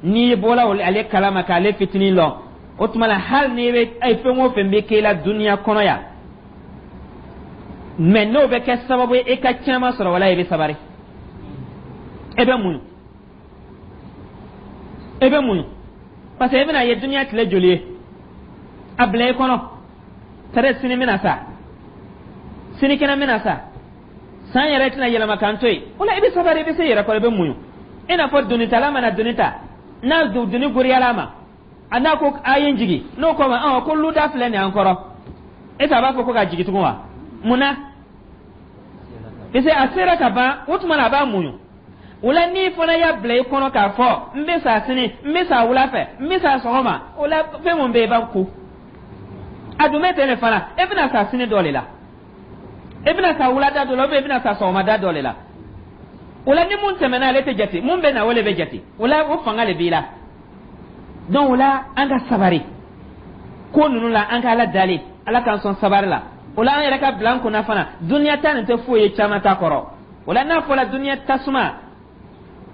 N'i bɔra ale kalama k'ale fitinin lɔn, o tuma la, hali n'i bɛ fɛn o fɛn bɛ k'e la duniya kɔnɔ yan, mɛ n'o bɛ kɛ sababu ye e ka caman sɔrɔ, wala i bɛ sabari, e bɛ muɲu, e bɛ muɲu, parce que e bɛna ye duniya tile joli ye. A bila i kɔnɔ tare, sini bɛna sa, sinikɛnɛ bɛna sa, san yɛrɛ tɛna yɛlɛma k'an to yen. O la, i bɛ sabari, i bɛ se yɛrɛ kɔrɔ, i bɛ muɲu. I n'a fɔ donitala mana doni ta, n'a doni goriyala a ma, a n'a ko a ye n jigin, n'o ko ma ɔn ko luda filɛ nin y'an kɔrɔ, e a b'a fɔ ko ka jigin tugun wa? Mun na? Parce que a sera ka ban. O tuma na, a b'a muɲu. O la, n'i fana y'a bila i kɔnɔ k'a fɔ n bɛ sa sini, n bɛ sa wula fɛ, n bɛ sa sɔgɔma, o la, fɛn mun bɛ yen, i b'a ko a dun bɛ ten de fana. E bɛna sa sini dɔ de la, e bɛna sa wulada dɔ la, ou bien e bɛna sa sɔgɔmada dɔ de la. O la, ni mun tɛmɛna, ale tɛ jate, mun bɛ na, o de bɛ jate. O la, o fanga de b'i la. Donc o la, an ka sabari ko ninnu la, an ka Ala dali, Ala k'an sɔn sabari la. O la, an yɛrɛ ka bila an kunna fana, duniya ta nin tɛ foyi ye caman ta kɔrɔ. O la, n'a fɔra duniya tasuma,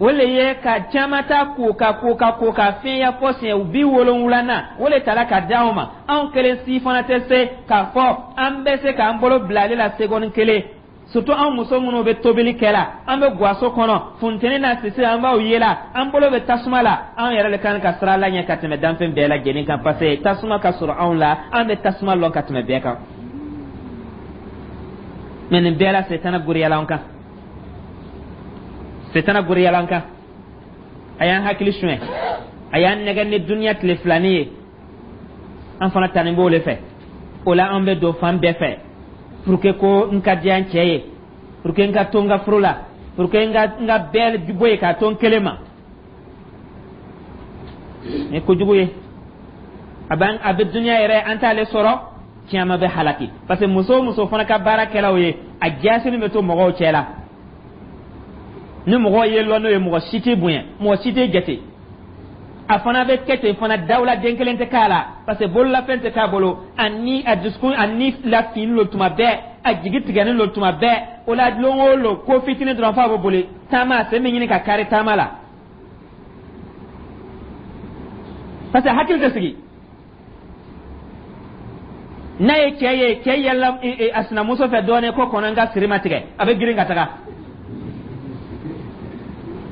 o le ye ka caman ta ko ka ko ka ko ka fiɲɛya fɔ siɲɛ 70 na, o le tala ka di anw ma. Anw kelen si fana tɛ se k'a fɔ an bɛ se k'an bolo bila ale la seconde kelen. Surtout anw muso minnu bɛ tobili kɛ la, an bɛ gaso kɔnɔ, funteni n'a sisi, an b'aw ye la, an bolo bɛ tasuma la. Anw yɛrɛ de kan ka siran Ala ɲɛ ka tɛmɛ danfɛn bɛɛ lajɛlen kan, parce que tasuma ka sɔrɔ anw la, an bɛ tasuma lɔn ka tɛmɛ bɛɛ kan. Mɛ nin bɛɛ la, setana goriyala an kan, setana goriyala an kan, a y'an hakili suɲɛ, a y'an nɛgɛ ni duniya tile filanin ye. An fana tanin b'o le fɛ. O la, an bɛ don fan bɛɛ fɛ pour que ko n ka diya n cɛ ye, pour que n ka to n ka furu la, pour que n ka bɛɛ bɔ yen k'a to n kelen ma. Ni kojugu ye, a bɛ a bɛ duniya yɛrɛ, an t'ale sɔrɔ, caman bɛ halaki, parce que muso o muso fana ka baarakɛlaw ye, a jasini bɛ to mɔgɔw cɛ la. Ni mɔgɔw ye lɔn n'o ye, mɔgɔ si tɛ bonya, mɔgɔ si tɛ jate. A fana bɛ kɛ ten fana, dawula den kelen tɛ k'a la, parce que bololafɛn tɛ k'a bolo. A ni a dusukun, a ni lafili lo tuma bɛɛ, a jigi tigɛlen lo tuma bɛɛ. O la, lon o lon, ko fitinin dɔrɔn f'a bɛ boli taama, a sen bɛ ɲini ka kari taama la, parce que hakili tɛ sigi. N'a ye cɛ ye, cɛ yɛlɛla a sinamuso fɛ dɔɔnin, ko kɔnɔ n ka siri ma tigɛ, a bɛ girin ka taga.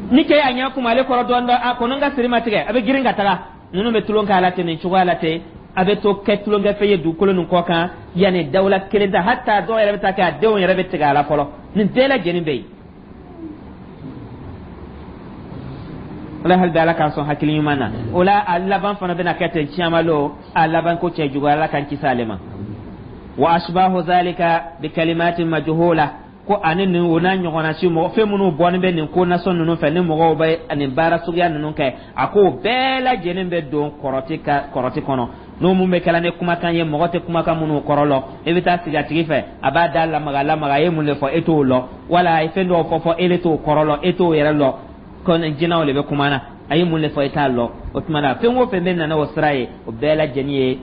Ni cɛ y'a ɲɛ kuma ale kɔrɔ dɔɔnin dɔɔnin, a kɔnɔ n ka siri ma tigɛ, a bɛ girin ka taga. Ninnu bɛ tulon k'a la ten nin cogoya la ten, a bɛ to kɛ tulonkɛfɛn ye dugukolo nin kɔ kan. Yanni dawula kelen ta, hata dɔw yɛrɛ bɛ taa kɛ a denw yɛrɛ bɛ tigɛ a la fɔlɔ. Nin bɛɛ lajɛlen bɛ yen. Wala hali bi, Ala k'an sɔn hakili ɲuman na. O la, a laban fana bɛna kɛ ten ciyama lo, a laban ko cɛ juguya. Ala k'an kisi ale ma. Wa ashbahu zalika bi kalimatin majhula, ko ani nin o n'a ɲɔgɔnna si mɔgɔ fɛn minnu bɔlen bɛ nin ko nasɔn ninnu fɛ, ni mɔgɔw bɛ nin baara suguya ninnu kɛ, a ko bɛɛ lajɛlen bɛ don kɔrɔti ka kɔrɔti kɔnɔ. N'o mun bɛ kɛla ni kumakan ye, mɔgɔ tɛ kumakan minnu kɔrɔ lɔn. E bɛ taa sigi a tigi fɛ, a b'a da lamaga lamaga, a ye mun de fɔ, e t'o lɔn, wala a ye fɛn dɔw fɔ fɔ, e de t'o kɔrɔ lɔn, e t'o yɛrɛ lɔn. Ko jinɛw de bɛ kuma na, a ye mun de fɔ, e t'a lɔn. O tuma na, fɛn o fɛn bɛ nana o sira ye, o bɛɛ lajɛlen ye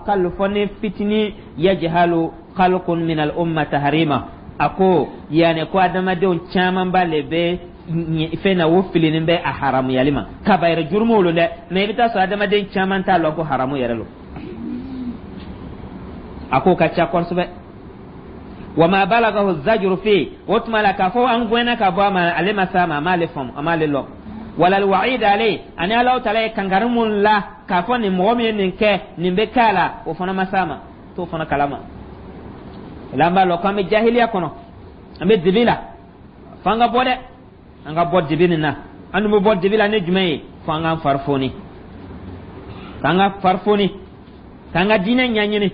aqallu, fɔ ni fitini, yajhalu khalqun min al umma tahrima. A ko yani ko adamadenw camanba le bɛ fɛn na, o filinin bɛ a haramuyali ma. Kabayɛrɛ jurumu lo dɛ, mais i bɛ taa sɔrɔ adamaden caman t'a lɔn ko haramu yɛrɛ lo. A k'o ka ca kosɛbɛ. Wa ma balagahu zajru fi, o tuma la k'a fɔ an gɛnna ka bɔ a ma, ale ma s'a ma, a m'ale faamu, a m'ale lɔn. Wala alwa'id alayhi, ani Alahu taala ye kankari mun la k'a fɔ nin mɔgɔ min ye nin kɛ, nin bɛ k'a la, o fana ma s'a ma, t'o fana kalama. O la, an b'a lɔn k'an bɛ jahiliya kɔnɔ, an bɛ dibi la. F'an ka bɔ dɛ, an ka bɔ dibi nin na. An dun bɛ bɔ dibi la ni jumɛn ye? Fo an k'an fari foni, k'an ka fari foni, k'an ka diinɛ ɲɛɲini.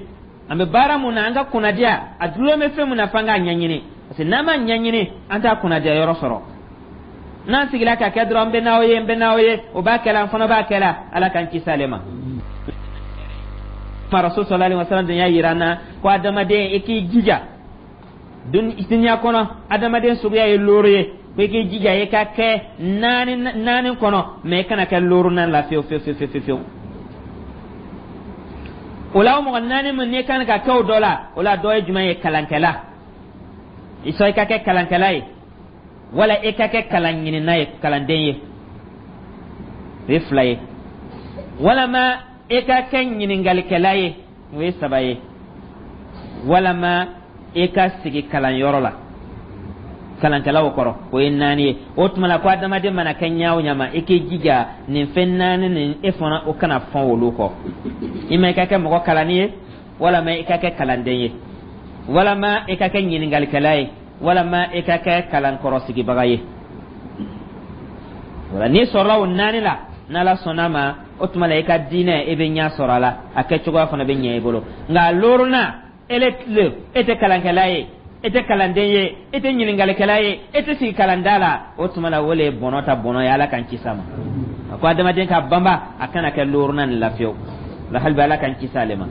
An bɛ baara mun na, an ka kunnadiya a dulon bɛ fɛn mun na, f'an k'a ɲɛɲini, parce que n'an m'a ɲɛɲini, an t'a kunnadiya yɔrɔ sɔrɔ. N'an sigila ka kɛ dɔrɔn, n bɛ n'aw ye, n bɛ n'aw ye, o b'a kɛla, an fana b'a kɛla. Ala k'an kisi ale ma. Rasul sallallahu alaihi wasallam dun y'a yira an na ko adamaden, i k'i jija duniya kɔnɔ, adamaden suguya ye looro ye, ko i k'i jija i ka kɛ naani naani kɔnɔ, mais i kana kɛ loorunan la fiyewu fiyewu fiyewu fiyewu. O la, o mɔgɔ naani min n'i kan ka kɛ o dɔ la, o la dɔ ye jumɛn ye? Kalankɛla. I sɔn i ka kɛ kalankɛla ye, wala i ka kɛ kalan ɲinina ye, kalanden ye, o ye fila ye, walama i ka kɛ ɲininkalikɛla ye, o ye saba ye, walama i ka sigi kalanyɔrɔ la kalankɛlaw kɔrɔ, o ye naani ye. O tuma la, ko adamaden mana kɛ ɲa o ɲa ma, i k'i jija nin fɛn naani nin, e fana o kana fɔn olu kɔ. I ma i ka kɛ mɔgɔ kalanni ye, walama i ka kɛ kalanden ye, walama i ka kɛ ɲininkalikɛla ye, walama i ka kɛ kalankɔrɔsigibaga ye. Wala n'i sɔrɔla o naani la, n'Ala sɔnna ma, o tuma la i ka diinɛ, i bɛ ɲɛ sɔrɔ a la, a kɛcogoya fana bɛ ɲɛ i bolo. Nka loorunan ele tile, e tɛ kalankɛla ye, e tɛ kalanden ye, e tɛ ɲininkalikɛla ye, e tɛ sigi kalanda la, o tuma la o le ye bɔnɔ ta bɔnɔ ye. Ala k'an kisi a ma. A ko adamaden ka banba, a kana kɛ loorunan nin la fiyewu la. Hali bi, Ala k'an kisi ale ma.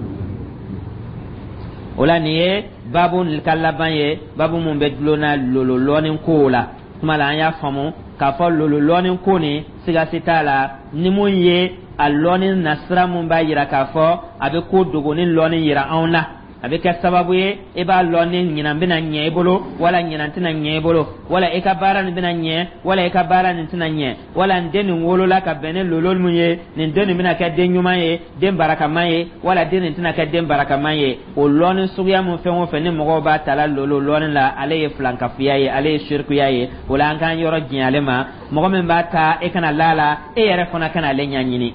O la, nin ye babu ka laban ye, babu mun bɛ dulonna lolo lɔɔni kow la. Tuma la, an y'a faamu k'a fɔ lolo lɔɔni ko nin, sigasi t'a la, ni mun ye a lɔɔni nasira mun b'a yira k'a fɔ a bɛ ko dogoni lɔɔni yira anw na, a bɛ kɛ sababu ye i b'a lɔn ni ɲinan bɛna ɲɛ i bolo, wala ɲinan tɛna ɲɛ i bolo, wala i ka baara nin bɛna ɲɛ, wala i ka baara nin tɛna ɲɛ, wala n den nin wolola ka bɛn ni lolo mun ye, nin den nin bɛna kɛ den ɲuman ye, den barakaman ye, wala den nin tɛna kɛ den barakaman ye. O lɔnni suguya mun fɛn o fɛn ni mɔgɔw b'a tala lolo lɔnni la, ale ye filankafuya ye, ale ye sirikuya ye. O la, an k'an yɔrɔ janya ale ma. Mɔgɔ min b'a ta, e kana la la, e yɛrɛ fana kana ale ɲɛɲini.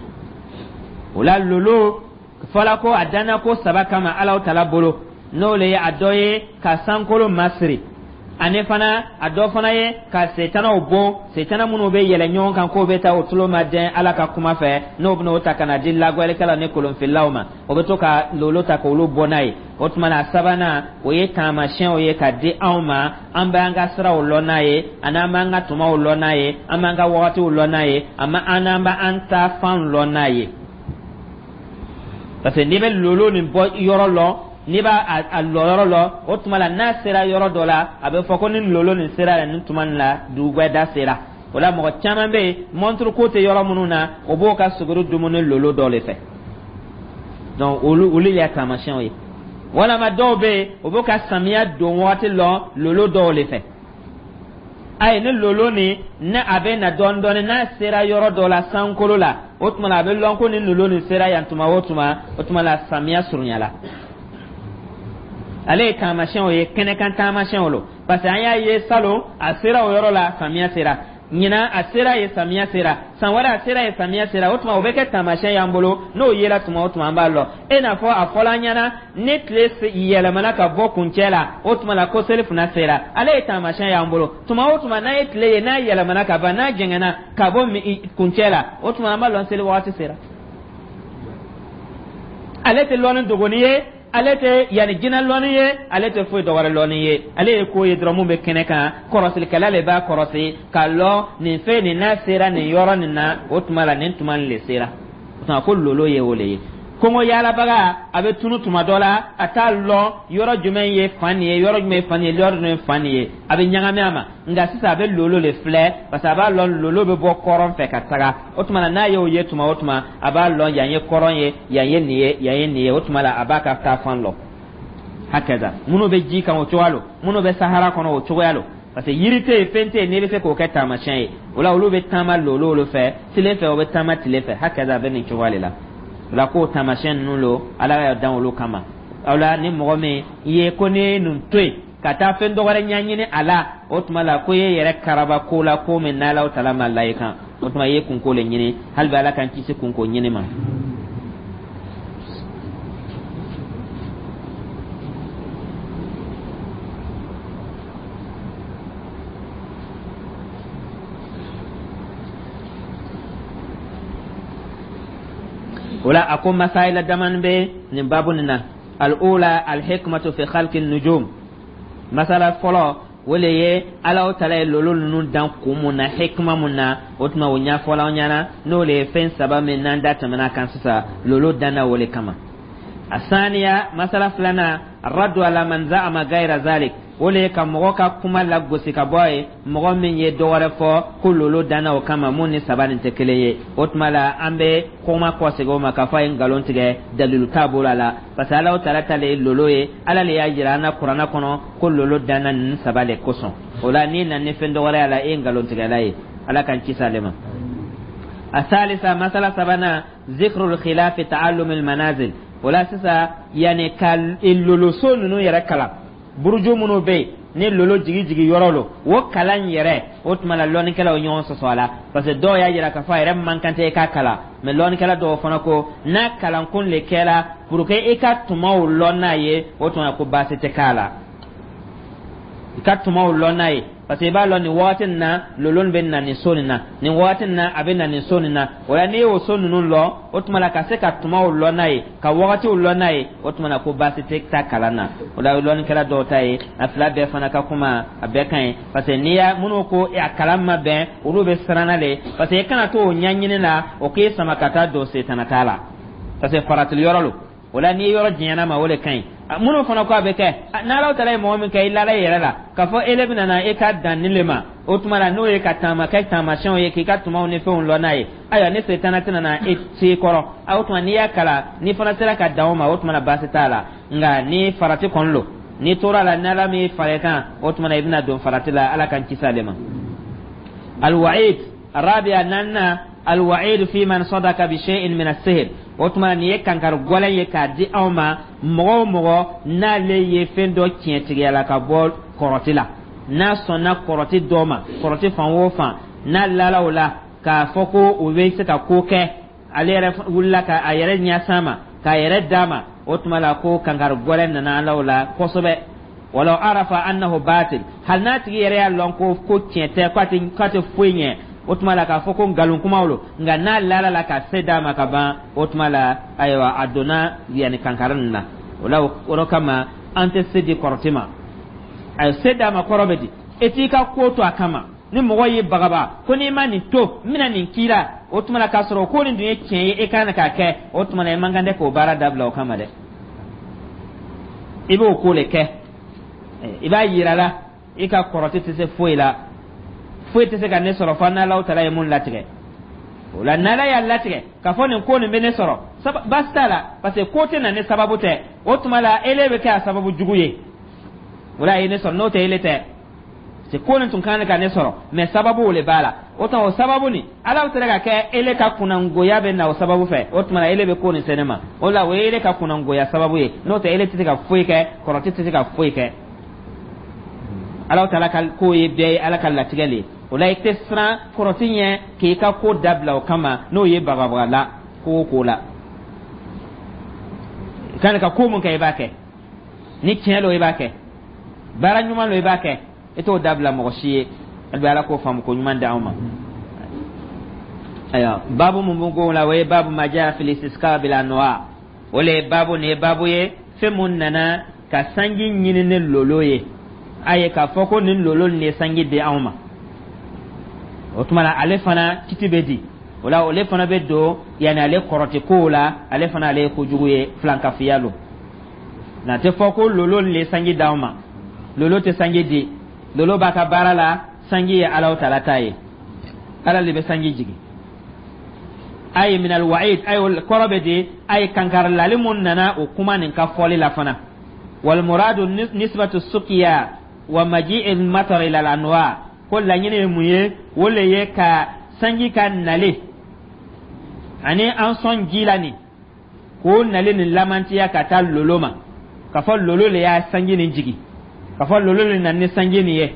O la, lolo fɔla ko a danna ko saba kama Alaw tala bolo, n'o le ye a dɔ ye ka sankolo masiri, ani fana a dɔ fana ye ka setanaw bon, setana minnu bɛ yɛlɛ ɲɔgɔn kan k'o bɛ taa o tulo ma dɛn Ala ka kuma fɛ, n'o bɛna o ta ka na di lagɔlikɛlaw ni kolonfililaw ma, o bɛ to ka lolo ta k'olu bɔ n'a ye. O tuma na, a sabanan, o ye taamasiyɛnw ye ka di anw ma, an b'an ka siraw lɔn n'a ye, ani an b'an ka tumaw lɔn n'a ye, an b'an ka wagatiw lɔn n'a ye, an n'an b'an ta fan lɔn n'a ye. Parce que n'i bɛ lolo nin bɔ yɔrɔ lɔn, n'i b'a a lɔ yɔrɔ lɔn, o tuma la n'a sera yɔrɔ dɔ la, a bɛ fɔ ko ni lolo nin sera yan nin tuma nin la, dugubɛda sera. O la, mɔgɔ caman bɛ yen, mɔnturu ko tɛ yɔrɔ minnu na, o b'o ka suguri dumuni lolo dɔ de fɛ. Donc olu y'a taamasiyɛnw ye. Walama dɔw bɛ yen, o b'o ka samiya don wagati lɔn lolo dɔw de fɛ. Ayi, ni lolo nin ni a bɛ na dɔɔni dɔɔni, n'a sera yɔrɔ dɔ la sankolo la, o tuma la a bɛ lɔn ko nin lolo nin sera yan tuma o tuma, o tuma la samiya surunyala. Ale ye taamasiyɛnw ye, kɛnɛkan taamasiyɛnw lo, parce que an y'a ye salon a sera o yɔrɔ la, samiya sera. Ɲinan a sera yen, samiya sera. San wɛrɛ a sera yen, samiya sera. O tuma o bɛ kɛ taamasiyɛn y'an bolo. N'o yera tuma o tuma, an b'a lɔn. E n'a fɔ a fɔla an ɲɛna, ni tile yɛlɛmana ka bɔ kuncɛ la, o tuma la ko selifana sera. Ale ye taamasiyɛn y'an bolo. Tuma o tuma n'an ye tile ye n'a yɛlɛmana ka ban, n'a jɛngɛnna ka bɔ kuncɛ la, o tuma an b'a lɔn seli wagati sera. Ale tɛ lɔnni dogoni ye, ale tɛ yanni jinɛ lɔnni ye, ale tɛ foyi dɔwɛrɛ lɔnni ye. Ale ye ko ye dɔrɔn mun bɛ kɛnɛ kan. Kɔrɔsilikɛla le b'a kɔrɔsi k'a lɔn nin fɛn nin n'a sera nin yɔrɔ nin na, o tuma la nin tuma nin le sera. O tuma ko lolo ye o le ye. Kɔngɔ yaalabaga a bɛ tunu tuma dɔ la, a t'a lɔn yɔrɔ jumɛn ye fan nin ye, yɔrɔ jumɛn ye fan nin ye, yɔrɔ jumɛn ye fan nin ye, a bɛ ɲagami a ma. Nka sisan a bɛ lolo le filɛ, parce que a b'a lɔn lolo bɛ bɔ kɔrɔn fɛ ka taga. O tuma na n'a y'o ye tuma o tuma, a b'a lɔn yan ye kɔrɔn ye, yan ye nin ye, yan ye nin ye. O tuma la a b'a ka taa fan lɔn. Hakaza minnu bɛ ji kan, o cogoya lo. Minnu bɛ sahara kɔnɔ, o cogoya lo, parce que yiri tɛ yen, fɛn tɛ yen n'i bɛ se k'o kɛ taamasiyɛn ye. O la olu bɛ taama lolo olu fɛ tile fɛ, o bɛ taama tile fɛ. Hakaza a bɛ nin cogoya de la. O la k'o taamasiyɛn ninnu lo, Ala y'a dan olu kama. O la ni mɔgɔ min ye ko n'i ye nin to yen ka taa fɛn dɔ wɛrɛ ɲɛɲini a la, o tuma la ko e yɛrɛ karaba ko la, ko min n'Ala tala ma la i kan, o tuma i ye kunko le ɲini. Hali bi Ala k'an kisi kunko ɲini ma. O la a ko masayila damani bɛ nin babu nin na. Al-ula, al-hikmatu fi khalqi nujum. Masala fɔlɔ, o le ye Ala tala ye lolo ninnu dan kun mun na, hikma mun na. O tuma o ɲɛfɔla an ɲɛna, n'o le ye fɛn saba min n'an da tɛmɛna kan sisan, lolo danna o le kama. Asaniya, masala filanan, raddu ala man za'ama gayra zalik. O le ye ka mɔgɔ ka kuma lagosi ka bɔ ye, mɔgɔ min ye dɔ wɛrɛ fɔ ko lolo danna o kama, mun ni saba nin tɛ kelen ye. O tuma la an bɛ kuma kɔsegin o ma k'a fɔ a ye nkalon tigɛ, dalilu t'a bolo a la, parce que Ala taala ta le ye lolo ye. Ala le y'a jira an na kuranna kɔnɔ ko lolo danna ninnu saba le kosɔn. O la n'i nana ni fɛn dɔ wɛrɛ y'a la, e ye nkalontigɛla ye. Ala k'an kisi ale ma. Asalisa, masala sabanan, zikrul khilafi ta'allumil manazil. O la sisan yanni ka loloso ninnu yɛrɛ kalan, buruju minnu bɛ yen ni lolo jigi jigi yɔrɔ lo, o kalan yɛrɛ, o tuma la lɔnnikɛlaw ɲɔgɔn sɔsɔ a la, parce que dɔw y'a jira k'a fɔ a yɛrɛ man kan tɛ i k'a kalan, mais lɔnnikɛla dɔw fana ko n'a kalankun le kɛra pour que i ka tumaw lɔn n'a ye, o tuma ko baasi tɛ k'a la i ka tumaw lɔn n'a ye, parce que i b'a lɔn nin wagati nin na lolo nin bɛ na nin so nin na, nin wagati nin na a bɛ na nin so nin na. O la n'i y'o so ninnu lɔn, o tuma la ka se ka tumaw lɔn n'a ye, ka wagatiw lɔn n'a ye, o tuma la ko baasi tɛ taa kalan na. O la lɔnnikɛla dɔw ta ye, a fila bɛɛ fana ka kuma a bɛɛ ka ɲi, parce que n'i y'a minnu ko a kalan ma bɛn, olu bɛ siran le, parce que i kana to o ɲɛɲini la, o k'e sama ka taa don setana ta la, parce que faratili yɔrɔ lo. O la n'i ye yɔrɔ janyana ma, o de ka ɲi. Minnu fana ko a bɛ kɛ, n'Ala taala ye mɔgɔ min kɛ i lala i yɛrɛ la k'a fɔ ele bɛna na e ka dan nin le ma, o tuma la n'o ye ka taama kɛ taamasiyɛnw ye, k'i ka tumaw ni fɛnw lɔn n'a ye, ayiwa ni setana tɛna na e se kɔrɔ, o tuma n'i y'a kalan, n'i fana sera ka dan o ma, o tuma la baasi t'a la. Nka ni farati kɔni lo, n'i tora a la, n'Ala m'i fara i kan, o tuma na i bɛna don farati la. Ala k'an kisi ale ma. Alwa'id arabiya, naaninan, alwa'id fi man sadaka bi shay'in min as-sihr. O tuma nin ye kankari gɔlɛn ye k'a di anw ma, mɔgɔ o mɔgɔ n'ale ye fɛn dɔ tiɲɛtigiya la ka bɔ kɔrɔti la, n'a sɔnna kɔrɔti dɔ ma, kɔrɔti fan o fan n'a lala o la k'a fɔ ko o bɛ se ka ko kɛ, ale yɛrɛ wulila ka a yɛrɛ ɲɛsan ma, k'a yɛrɛ d'a ma, o tuma la ko kankari gɔlɛn nana ala o la kosɛbɛ. Walaw arafa annahu batil, hali n'a tigi yɛrɛ y'a lɔn ko tiɲɛ tɛ, k'a tɛ foyi ɲɛ, o tuma la k'a fɔ ko nkalon kumaw lo, nka n'a lala la ka se d'a ma ka ban, o tuma la ayiwa a donna yanni kankari nin na. O la o yɔrɔ kama an tɛ se di kɔrɔti ma. A se d'a ma kɔrɔ bɛ di? E t'i ka ko to a kama. Ni mɔgɔ y'i bagaba ko n'i ma nin to, n bɛna nin k'i la, o tuma la k'a sɔrɔ ko nin dun ye tiɲɛ ye, e kan k'a kɛ, o tuma la i man kan tɛ k'o baara dabila o kama dɛ. I b'o ko le kɛ, i b'a yira la i ka kɔrɔti tɛ se foyi la, foyi tɛ se ka ne sɔrɔ fo n'Ala taala ye mun latigɛ. O la n'Ala y'a latigɛ k'a fɔ nin ko nin bɛ ne sɔrɔ, baasi t'a la, parce que ko tɛ na ni sababu tɛ. O tuma la ele bɛ kɛ a sababu jugu ye, o la a ye ne sɔrɔ, n'o tɛ ele tɛ. C'est ko nin tun kan ka ne sɔrɔ, mais sababu o le b'a la. O tuma, o sababu nin, Ala bɛ se ka kɛ ele ka kunnangoya bɛ na o sababu fɛ. O tuma na, ele bɛ ko nin se ne ma, o la o ye ele ka kunnangoya sababu ye. N'o tɛ, ele tɛ se ka foyi kɛ, kɔrɔti tɛ se ka foyi kɛ. Ala taala ka ko ye bɛɛ ye, Ala ka latigɛ le ye. O la, i tɛ siran kɔrɔti ɲɛ k'i ka ko dabila o kama. N'o ye bagabaga la ko o ko la, i kan ka ko mun kɛ, i b'a kɛ. Ni tiɲɛ lo, i b'a kɛ. Baara ɲuman lo, i b'a kɛ. I t'o dabila mɔgɔ si ye. Hali bi, Ala k'o faamu ko ɲuman di anw ma. Ayiwa, baabu mun b'o ko la, o ye باب ما جاء في الاستسقاء بالأنواء. O le ye baabu nin ye, baabu ye fɛn mun nana ka sanji ɲini ni lolo ye. A ye k'a fɔ ko nin lolo nin ye sanji di anw ma. O tuma na, ale fana kiti bɛ di o la. Ale fana bɛ don yanni ale kɔrɔti kow la. Ale fana, ale ye kojugu ye, filankafiya lo. Na tɛ fɔ ko lolo nin ye sanji d'anw ma. Lolo tɛ sanji di. Lolo b'a ka baara la. Sanji ye Alaw tala ta ye. Ala de bɛ sanji jigin. A ye من الوعيد, a ye kɔrɔ bɛ di, a ye kankarilali mun nana o kuma nin ka fɔli la fana. والمراد نسبة السقيا ومجيء المطر إلى الأنواء. Ko laɲini ye mun ye? O le ye ka sanji ka nale ani an sɔn ji la nin, k'o nale nin lamantiya ka taa lolo ma, ka fɔ lolo le y'a sanji nin jigi, ka fɔ lolo le nana ni sanji nin ye.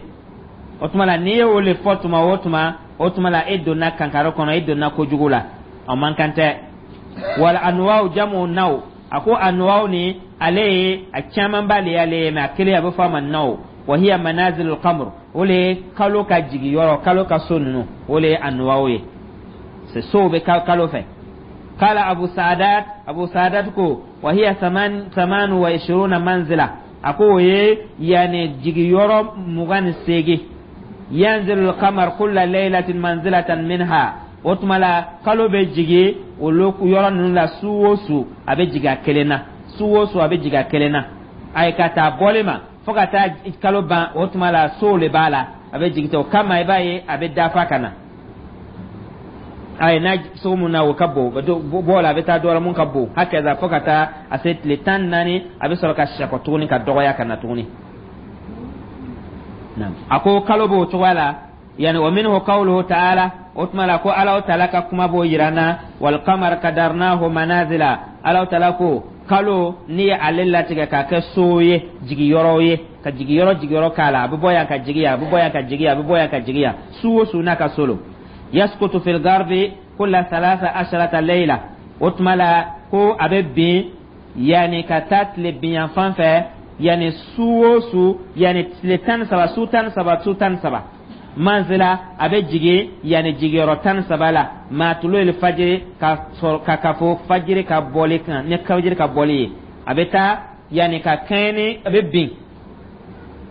O tuma la, n'i ye o le fɔ tuma o tuma, o tuma la, e donna kankari kɔnɔ, e donna kojugu la. O man kan tɛ. والأنواء جمع نوء. A ko أنواء ni, ale ye a camanba le y'ale ye, mais a kelen, a bɛ fɔ a ma نوء. وهي منازل القمر. O le ye kalo ka jigi yɔrɔ, kalo ka so ninnu, o le ye أنواء ye. C'est sow bɛ kalo fɛ. قال أبو سعدات, أبو سعدات ko وهي 28 منزلة. A ko o ye yani jigiyɔrɔ 28. ينزل القمر كل ليلة منزلة منها. O tuma la, kalo bɛ jigi olu yɔrɔ ninnu la su o su, a bɛ jigin a kelen na. Su o su, a bɛ jigin a kelen na. A ye ka taa bɔli ma fo ka taa kalo ban. O tuma la, sow le b'a la, a bɛ jigin ten. O kama, i b'a ye a bɛ dafa ka na. A ye n'a sogo mun na, o ka bon bɔ la, a bɛ taa dɔ la mun ka bon. هكذا, fo ka taa a se tile 14, a bɛ sɔrɔ ka sɛkɔ tuguni, ka dɔgɔya ka na tuguni. A ko kalo b'o cogoya la. Yani ومنه قوله تعالى. O tuma la, ko Ala taala ka kuma b'o yira n na: والقمر قدرناه منازل. Ala taala ko kalo, n'i ye ale latigɛ k'a kɛ so ye, jigiyɔrɔ ye, ka jigiyɔrɔ jigiyɔrɔ k'a la. A bɛ bɔ yan ka jigi yan, a bɛ bɔ yan ka jigi yan, a bɛ bɔ yan ka jigi yan. Su o su n'a ka so lo. يسقط في الغرب كل 13 ليلة. O tuma la, ko a bɛ bin yani ka taa tile binyan fan fɛ, yani su o su, yani tile 13, su 13, su 13. منزلة, a bɛ jigin yani jigiyɔrɔ 13 la. مع طلوع الفجر, ka sɔrɔ ka fɔ fajiri ka bɔli kan, ni fajiri ka bɔli ye, a bɛ taa yani ka kɛɲɛ ni a bɛ bin,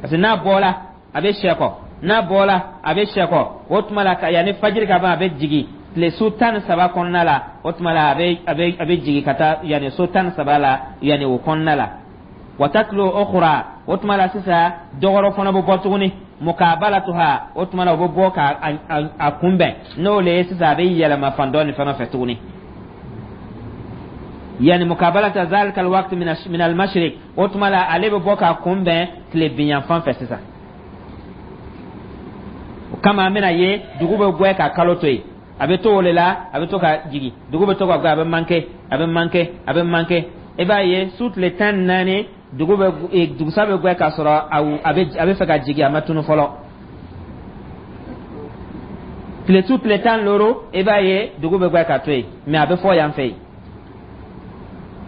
parce que n'a bɔla, a bɛ sɛkɔ. N'a bɔla, a bɛ sɛkɔ. O tuma la, yanni fajiri ka ban, a bɛ jigin tile su 13 kɔnɔna la. O tuma la, a bɛ jigin ka taa yanni so 13 la, yanni o kɔnɔna la. وتطلع أخرى. O tuma la sisan, dɔgɔrɔ fana bɛ bɔ tuguni. مقابلتها. O tuma la, o bɛ bɔ ka a kunbɛn. N'o le ye sisan, a bɛ yɛlɛma fan dɔ nin fana fɛ tuguni, yani مقابلة ذلك الوقت من المشرق. O tuma la, ale bɛ bɔ k'a kunbɛn tile binyan fan fɛ sisan. O kama, an bɛna ye dugu bɛ gwɛ ka kalo to yen. A bɛ to o de la, a bɛ to ka jigin. Dugu bɛ to ka gwɛ, a bɛ manqué, a bɛ manqué, a bɛ manqué. I b'a ye su tile 14, dugu bɛ dugusa bɛ gwɛ k'a sɔrɔ a bɛ fɛ ka jigin, a ma tunu fɔlɔ. Tile su tile 15, i b'a ye dugu bɛ gwɛ ka to yen, mais a bɛ fɔ yan fɛ yen.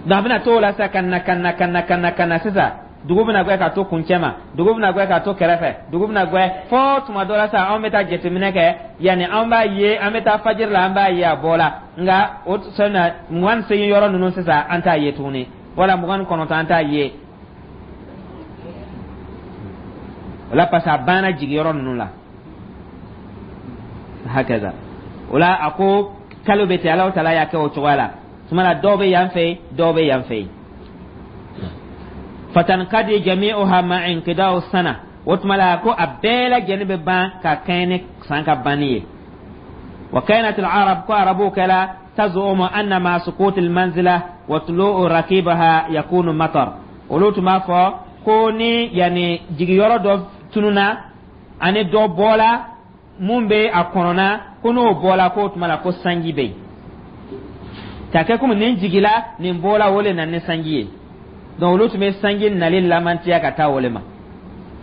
Donc a bɛna to o la sisan, ka na, ka na, ka na, ka na, ka na. Sisan dugu bɛna gwɛ ka to kuncɛ ma, dugu bɛna gwɛ ka to kɛrɛfɛ, dugu bɛna gwɛ fo tuma dɔ la sisan, anw bɛ taa jateminɛ kɛ. Yanni an b'a ye, an bɛ taa fajiri la, an b'a ye a bɔ la. Nka o sɔn na 28 yɔrɔ ninnu sisan, an t'a ye tuguni, wala 29, an t'a ye o la, parce que a banna jigiyɔrɔ ninnu la. هكذا. O la, a ko kalo bɛ ten. Alahu taala y'a kɛ o cogoya la. Tuma la, dɔw bɛ yan fɛ, dɔw bɛ yan fɛ. فتنقضي جميعها مع انقضاء السنة. O tuma la, ko a bɛɛ lajɛlen bɛ ban ka kɛɲɛ ni san ka banni ye. وكانت العرب, ko arabuw kɛla, تزعم أن مع سقوط المنزلة وطلوع رقيبها يكون مطر. Olu tun b'a fɔ ko ni yanni jigiyɔrɔ dɔ tununa. Ani dɔ bɔla mun bɛ a kɔnɔna, ko n'o bɔla, k'o tuma la ko sanji bɛ yen, k'a kɛ komi nin jigila, nin bɔla, o le na ni sanji ye. Donc olu tun bɛ sanji nali lamantiya ka taa o le ma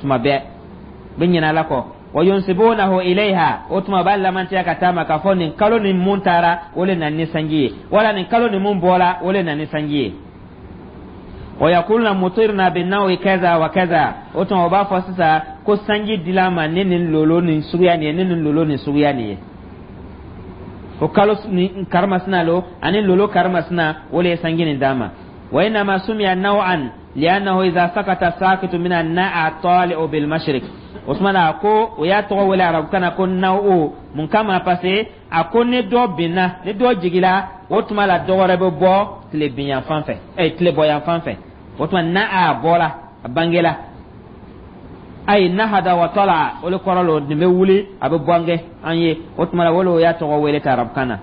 tuma bɛɛ, bɛ ɲinɛ ala kɔ. Wa yunsibunahu ilayha, o tuma b'a lamantiya ka taa ma k'a fɔ nin kalo nin mun taara, o le na ni sanji ye, wala nin kalo nin mun bɔla, o le na ni sanji ye. Wa yaquluna mutirna bi nawi kaza wa kaza, o tuma o b'a fɔ sisan ko sanji dila ma ni nin lolo nin suguya nin ye, ni nin lolo nin suguya nin ye, o kalo ni karimasina lo ani lolo karimasina, o le ye sanji nin d'a ma. Wa innama sumiya naw'an li'annahu idha sakata sakitu min an-na'a tali'u bil mashriq. O tuma na ko o y'a tɔgɔ wele arabukan na ko naw'u. Mun kama? Parce que a ko ni dɔ binna, ni dɔ jigila, o tuma la dɔ wɛrɛ bɛ bɔ tile binyan fan fɛ, tile bɔyan fan fɛ. O tuma n'a bɔra, a bangela, ayi nahada wa tala, o le kɔrɔ lo nin bɛ wuli, a bɛ bange an ye. O tuma la o le o y'a tɔgɔ wele ta arabukan na.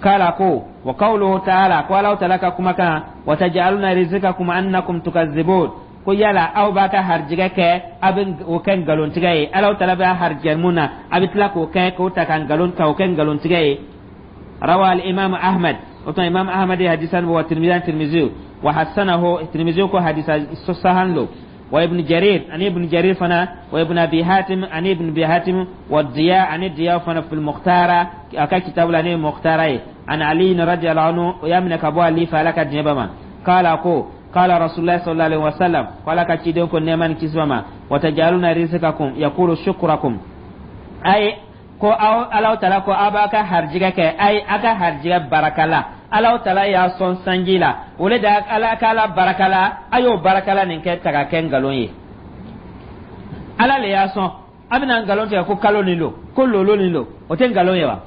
Kala ko wa qawluhu ta'ala, ko Alahu ta'ala ka kumakan, wa taj'aluna rizqakum annakum tukazzibun, ko yala aw b'a ka harijigɛ kɛ, a bɛ o kɛ nkalontigɛ ye? Alahu ta'ala b'a harijigɛ mun na, a bɛ tila k'o kɛ k'o ta ka nkalon ka o kɛ nkalontigɛ ye. Rawa al imam Ahmad, o tuma Imam Ahmad ye hadisan wa Tirmidhi, Tirmidhi, wa hasanahu, Tirmidhi ko hadisa sahan lo, wa Ibn Jarir, ani Ibn Jarir fana, wa Ibn Abi Hatim, ani Ibn Abi Hatim, wa Diya, ani Diya fana, fil Mukhtara, aka kitabu la ne Mukhtara ye, an Ali radiyallahu anhu, o y'a minɛ ka bɔ Ali fa, Ala ka diɲɛ ba ma, kala ko qala Rasulullah sallallahu alaihi wasallam, ko Ala ka ciden ko nɛɛma ni kisi ma, wa tajaluna rizqakum, yaqulu shukrakum, ay ko aw Alahu taala ko aw b'a ka harijigɛ kɛ, ay a ka harijigɛ baraka la. Alahu taala y'a sɔn sanji la, o le da Ala ka ala baraka la, a y'o barakala nin kɛ ta ka kɛ nkalon ye. Ala le y'a sɔn, a bɛna nkalon tigɛ ko kalo nin lo, ko lolo nin lo, o tɛ nkalon ye wa?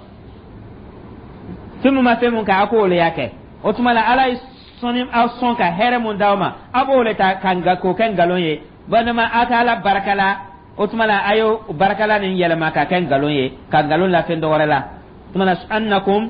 Fɛn min ma fɛn mun kɛ, a k'o le y'a kɛ. O tuma la Ala ye sɔnni aw sɔn ka hɛrɛ mun d'aw ma, a b'o le ta ka k'o kɛ nkalon ye. Walima a ka ala baraka la, o tuma la a y'o barakala nin yɛlɛma ka kɛ nkalon ye, ka nkalon la fɛn dɔ wɛrɛ la. O tuma la annakum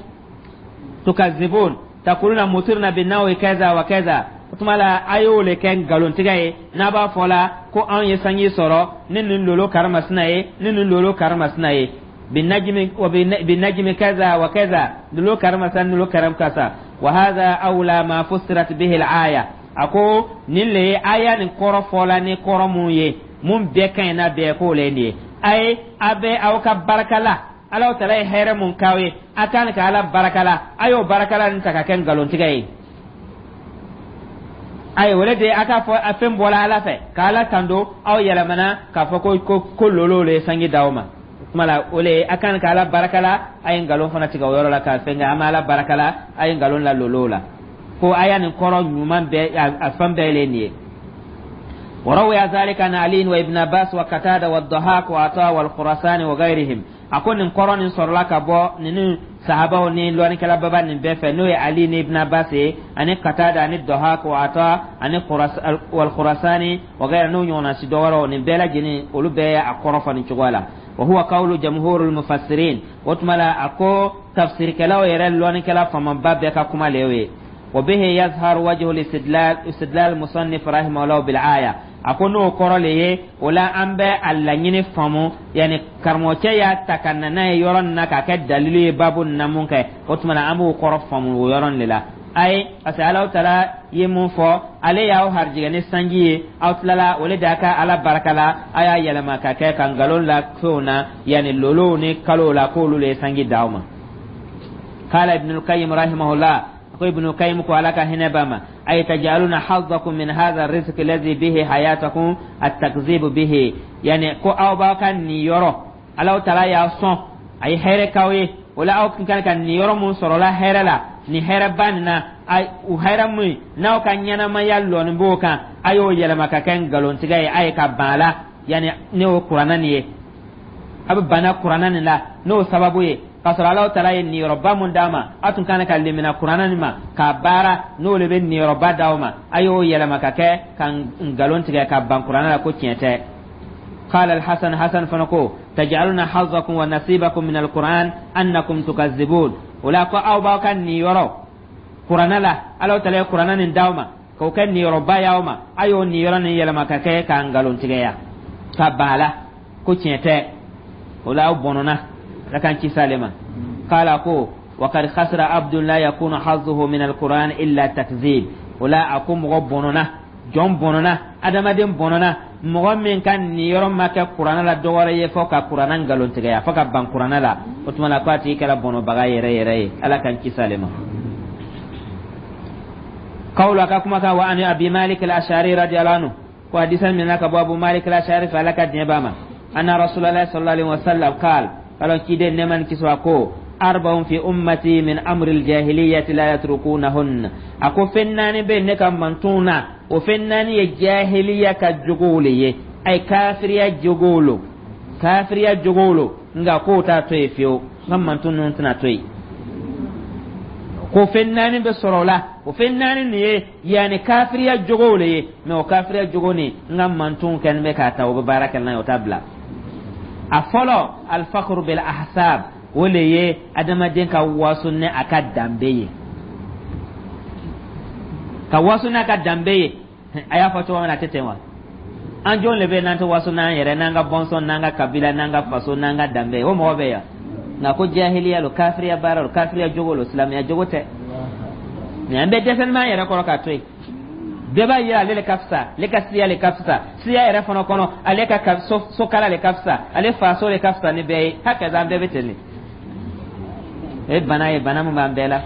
tukazibun taquluna mutirna binnawi kaza wa kaza, o tuma la a y'o le kɛ nkalontigɛ ye, n'a b'a fɔ la ko anw ye sanji sɔrɔ ni nin lolo karimasina ye, ni nin lolo karimasina ye, binajmi wa binajmi kaza wa kaza, lolo karimasina, lolo karim kasa. Wa hadha awla ma fussirat bihi al-aya, a ko nin le ye aya nin kɔrɔ fɔla ni kɔrɔ mun ye, mun bɛɛ ka ɲi n'a bɛɛ k'o le ye nin ye. A ye a bɛ aw ka baraka la, Alahu taala ye hɛrɛ mun k'aw ye, a kan ka Ala baraka la, a y'o barakala nin ta ka kɛ nkalontigɛ ye. Ayi, o le de a k'a fɔ a fɛn bɔra Ala fɛ ka Ala tando, aw yɛlɛmana k'a fɔ ko lolo le ye sanji d'aw ma. O tuma la o le ye a kan ka Ala baraka la, a ye nkalon fana tigɛ o yɔrɔ la k'a fɛn kɛ an bɛ Ala baraka la, a ye nkalon la lolo la. Ko a y'a nin kɔrɔ ɲuman bɛɛ, a fan bɛɛ le nin ye. وروي ذلك عن علي وابن عباس وقتادة والضحاك وعطاء والخراسان وغيرهم. A ko nin kɔrɔ nin sɔrɔla ka bɔ ninnu sahabaw ni lɔnnikɛla baba nin bɛɛ fɛ, n'o ye Ali ni Ibn Abbas ye, ani Qatada, ani Dahak wa Ata, ani wal Khurasani wa gayra, n'o ɲɔgɔnna si dɔ wɛrɛw. Nin bɛɛ lajɛlen, olu bɛɛ ye a kɔrɔ fɔ nin cogoya la. Wa huwa qawlu jamhurul mufassirin, o tuma la a ko tafsirikɛlaw yɛrɛ, lɔnnikɛla faamaba bɛɛ ka kuma le y'o ye. Wa bihi yazharu wajhu al-istidlal musannif rahimahullah bil aya, a ko n'o kɔrɔ le ye, o la an bɛ a laɲini faamu, yanni karamɔgɔcɛ y'a ta ka na n'a ye yɔrɔ nin na k'a kɛ dalilu ye baabu nin na mun kɛ, o tuma na an b'o kɔrɔ faamu o yɔrɔ nin de la. Ayi, parce que Alahu taala ye mun fɔ? Ale y'aw harijigɛ ni sanji ye, aw tilala o le de y'a ka Ala baraka la, a y'a yɛlɛma ka kɛ ka nkalon la fɛnw na, yanni lolow ni kalow la, k'olu le ye sanji d'aw ma. Kala Ibnul Qayyim rahimahullah, ko Ibnu Qayyim ko, Ala ka hinɛ ba ma, ay tajaluna hazzakum min hadha arrizq alladhi bihi hayatakum at-takzibu bihi, yani ko aw b'aw ka niyɔrɔ, Alahu taala y'a sɔn, a ye hɛrɛ k'aw ye, o la aw kan ka niyɔrɔ mun sɔrɔla hɛrɛ la nin hɛrɛba nin na, o hɛrɛ mun n'aw ka ɲɛnamaya lɔni b'o kan, a y'o yɛlɛma ka kɛ nkalontigɛ ye, a ye ka ban a la, yani ne y'o kuranna nin ye, a bɛ bana kuranna nin la n'o sababu ye, k'a sɔrɔ Alahu taala ye niyɔrɔba mun d'a ma, a tun kan ka lemina kuranna nin ma k'a baara, n'o de bɛ niyɔrɔba d'aw ma, a y'o yɛlɛma ka kɛ ka nkalon tigɛ ka ban kuranna la ko tiɲɛ tɛ. قال الحسن، حسن فنكو تجعلون حظكم ونصيبكم من القرآن أنكم تكذبون، ولا ko aw b'aw ka niyɔrɔ kuranna la, Alahu taala ye kuranna nin d'aw ma k'o kɛ niyɔrɔba y'aw ma, a y'o niyɔrɔ nin yɛlɛma ka kɛ ka nkalon tigɛya ka ban a la. Ko tiɲɛ tɛ. O la, aw bɔnɔna, Ala k'an kisi ale ma. Qala, ko wa qad khasira abdun la yakunu hazzuhu min alquran illa takzib. O la, a ko mɔgɔ bɔnɔna, jɔn bɔnɔna, adamaden bɔnɔna, mɔgɔ min ka niyɔrɔ ma kɛ Kuranɛ la dɔwɛrɛ ye fɔ ka Kuranɛ nkalontigɛya, fɔ ka ban Kuranɛ la, o tuma la ko a tigi kɛra bɔnɔbaga yɛrɛ yɛrɛ ye. Ala k'an kisi ale ma. Kawlu, a ka kumakan. Wa ani Abi Malik al-Ashari radiyallahu anhu, ko hadisa minɛ ka bɔ Abu Malik al-Ashari fɛ, Ala ka diɲɛ b'a ma, anna Rasulallah sallallahu alaihi wasallam qal, kalo ciden nɛɛma ni kisi ko: arba'un fi ummati min amri al-jahiliyyati la yatrukunahun. A ko fɛn naani bɛ ne ka mantonw na, o fɛn naani ye jahiliya ka jogow le ye, ay kafiriya jogow lo, kafiriya jogow lo, nka k'o t'a to yen fiyewu, n ka manton ninnu tɛna to yen. Ko fɛn naani bɛ sɔrɔ o la, o fɛn naani nin ye yanni kafiriya jogow le ye, mɛ o kafiriya jogo nin, n ka mantonw kɛlen bɛ k'a ta, o bɛ baara kɛ n'a ye, o t'a bila. A fɔlɔ, alfakuru bil ahsab, o le ye adamaden ka waso ni a ka danbe ye, ka waso n'a ka danbe ye. A y'a fɔ cogo min na, a tɛ ten wa? An jɔn le bɛ n'an tɛ waso n'an yɛrɛ, n'an ka bɔnsɔn, n'an ka kabila, n'an ka faso, n'an ka danbe ye? O mɔgɔ bɛ yan. Nka ko jahiliya lo, kafiriya baara lo, kafiriya jogo lo, silamɛya jogo tɛ. Mɛ an bɛ dɛsɛ n'an yɛrɛ kɔrɔ k'a to yen. Bɛɛ b'a yira ale le ka fisa, ale ka siya le ka fisa, siya yɛrɛ fana kɔnɔ, ale ka sokala le ka fisa, ale faso le ka fisa ni bɛɛ ye. Hakaza, an bɛɛ bɛ ten de. O ye bana ye, bana min b'an bɛɛ la.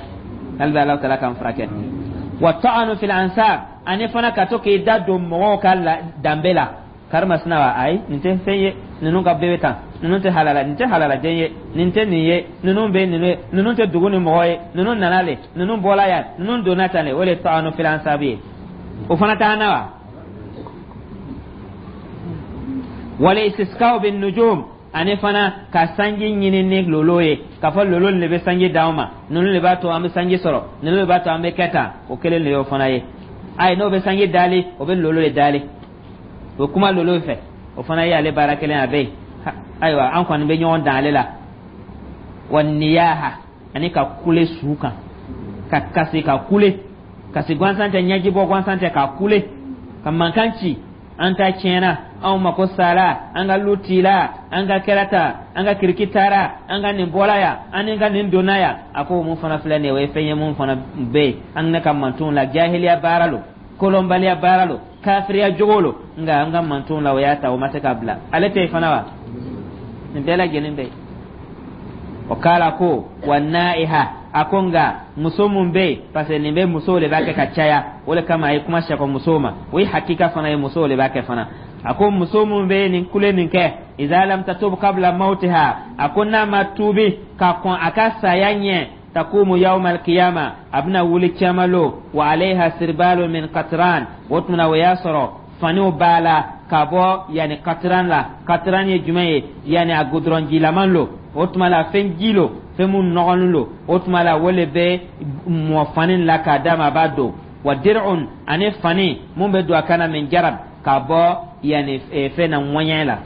Hali bɛ Ala taala k'an furakɛ. Wa ta'anu fil ansab, ani fana ka to k'i da don mɔgɔw ka danbe la. Karimasina wa, ayi, nin tɛ fɛn ye, ninnu ka bɛɛ bɛ tan, ninnu tɛ halala, nin tɛ halaladen ye, nin tɛ nin ye, ninnu bɛ ninnu ye, ninnu tɛ dugu ni mɔgɔ ye, ninnu nana le, ninnu bɔla yan, ninnu donna tan de. O de ye ta'anu fil ansab ye. O fana t'an na wa? Wal istisqa'u bin nujum, ani fana ka sanji ɲini ni lolo ye, k'a fɔ lolo de bɛ sanji d'anw ma, ninnu de b'a to an bɛ sanji sɔrɔ, ninnu de b'a to an bɛ kɛ tan. O kelen de y'o fana ye. Ayi, n'o bɛ sanji dali, o bɛ lolo de dali, o kuma lolo fɛ, o fana ye ale baara kelen a bɛ yen. Ayiwa, an kɔni bɛ ɲɔgɔn dan ale la. Wa niyaha, ani ka kule su kan, ka kasi, ka kule, kasi gansan tɛ, ɲɛjibɔ gansan tɛ, ka kule, ka mankan ci: an ta tiɲɛna, anw mako sara, an ka lu tila, an ka kɛra tan, an ka kiriki taara, an ka nin bɔla yan, an ni ka nin donna yan. A ko mun fana filɛ nin ye, o ye fɛn ye mun fana bɛ yen an ne ka mantonw la. Jahiliya baara lo, kolonbaliya baara lo, kafiriya jogo lo, nka an ka mantonw la, o y'a ta, o ma se k'a bila. Ale tɛ yen fana wa? Nin bɛɛ lajɛlen bɛ yen. O k'ala ko wa naiha, a ko nka muso mun bɛ yen, parce que nin bɛ musow de b'a kɛ ka caya, o de kama a ye kuma sɛkɔ musow ma. O ye hakika fana ye, musow de b'a kɛ fana. A ko muso mun bɛ nin kule nin kɛ, iza lam tatub qabla mautiha, a ko n'a ma tuubi ka kɔn a ka saya ɲɛ, takumu yawma alqiyama, a bɛna wuli ciyama lo, wa alayha sirbalu min qatran. O tuma na, o y'a sɔrɔ faniw b'a la ka bɔ yanni katran la. Katran ye jumɛn ye? Yanni a gudɔrɔn jilaman lo. O tuma la, fɛn ji lo, fɛn mun nɔgɔlen lo. O tuma la, o le bɛ mɔ fani la k'a d'a ma, a b'a don. Wa dir'un, ani fani mun bɛ don a kan na, min jarab, ka bɔ yanni fɛn na, ŋɔɲɛ la,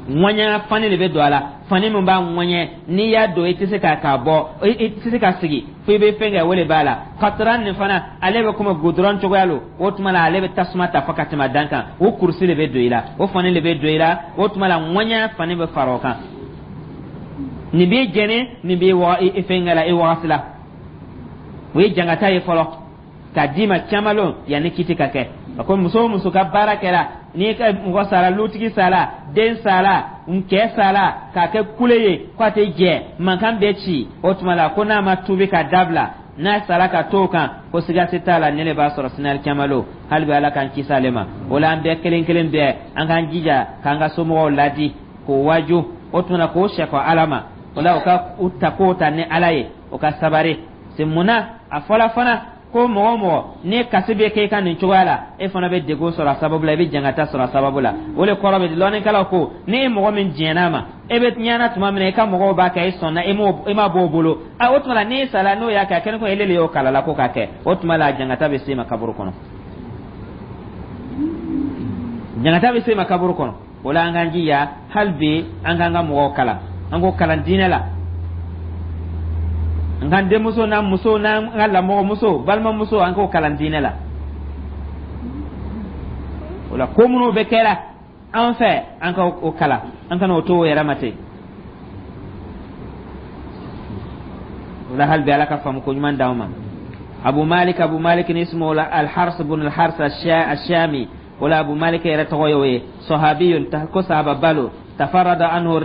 ŋɔɲɛ fani de bɛ don a la, fani min b'a ŋɔɲɛ, n'i y'a don, i tɛ se k'a bɔ, i tɛ se ka sigi fo i bɛ fɛn kɛ, o de b'a la. Katran nin fana, ale bɛ komi gudɔrɔn cogoya lo. O tuma la, ale bɛ tasuma ta fo ka tɛmɛ a dan kan. O kurusi de bɛ don i la, o fani de bɛ don i la. O tuma la, ŋɔɲɛ fani bɛ fara o kan. Nin b'i jɛni, nin b'i i fɛn la, i wagati la, o ye jangata ye fɔlɔ k'a d'i ma caman lon yanni kiti ka kɛ. A ko muso o muso ka baara kɛra, n'i ka mɔgɔ sara, lutigi sara, den sara, cɛ sara, k'a kɛ kule ye k'a tɛ jɛ, mankan bɛ ci, o tuma la ko n'a ma tuubi ka dabila, n'a sara ka to o kan, ko siga si t'a la, ne de b'a sɔrɔ sinali caman lo. Hali bi, Ala k'an kisi ale ma. O la, an bɛɛ kelen kelen bɛɛ, an k'an jija k'an ka somɔgɔw ladi, k'o waju, o tuma na k'o sɛkɔ Ala ma. O la, o ka u ta k'o ta ni Ala ye, o ka sabari se. Munna a fɔla fana ko mɔgɔ o mɔgɔ ni kasi bɛ kɛ i ka nin cogoya la, e fana bɛ degun sɔrɔ a sababu la, i bɛ jangata sɔrɔ a sababu la? O de kɔrɔ bɛ di. Lɔnnikɛlaw ko ni e mɔgɔ min diɲɛna ma, e bɛ ɲɛna tuma min na, i ka mɔgɔw b'a kɛ, e sɔnna, e ma bɔ o bolo. A o tuma la, n'e sara, n'o y'a kɛ, a kɛlen ko ele de y'o kalala ko k'a kɛ, o tuma la a jangata bɛ s'e ma kaburu kɔnɔ, jangata bɛ s'e ma kaburu kɔnɔ. O la, an k'an jija hali bi, an k'an ka mɔgɔw kalan, an k'o kalan diinɛ la, an k'an denmuso n'an muso n'an ka lamɔgɔmuso, balimamuso, an k'o kalan diinɛ la. O la, ko minnu bɛ kɛra An fɛ, an ka o kalan, an kana o to o yɛrɛ ma ten. O la, hali bi, Ala ka faamu ko ɲuman d'anw ma. Abu Malik, Abu Malik ni ismu Alhars bun Alhars Ashami, wala Abu Malik yɛrɛ tɔgɔ ye o ye. Sahabiyun, ko sahaba balo. Tafarada anhu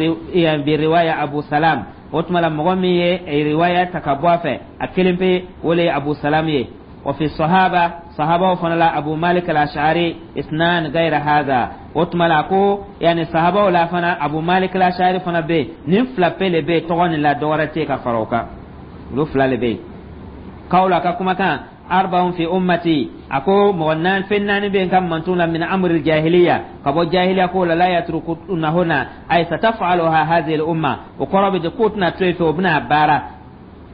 bi riwaya Abu Salam. O tuma la, mɔgɔ min ye riwaya ta ka bɔ a fɛ a kelen pe, o le ye Abu Salam ye. Wa fi sahaba, sahabaw fana la, Abu Malik al-Ash'ari isnan gayra hadha. O tuma la ko yani sahabaw la fana, Abu Malik al-Ash'ari fana bɛ yen. Nin fila pe le bɛ yen tɔgɔ nin la, dɔ wɛrɛ tɛ yen ka fara o kan, olu fila le bɛ yen. Kawla ka kumakan: arba'un fi ummati, a ko mɔgɔ naani, fɛn naani bɛ yen ka mantun la, min amri jahiliya, ka bɔ jahiliya ko la, la yatrukunahunna, ay sataf'aluha hadhihi al-umma. O kɔrɔ bɛ di k'o tɛna to yen fɛ, o bɛna baara.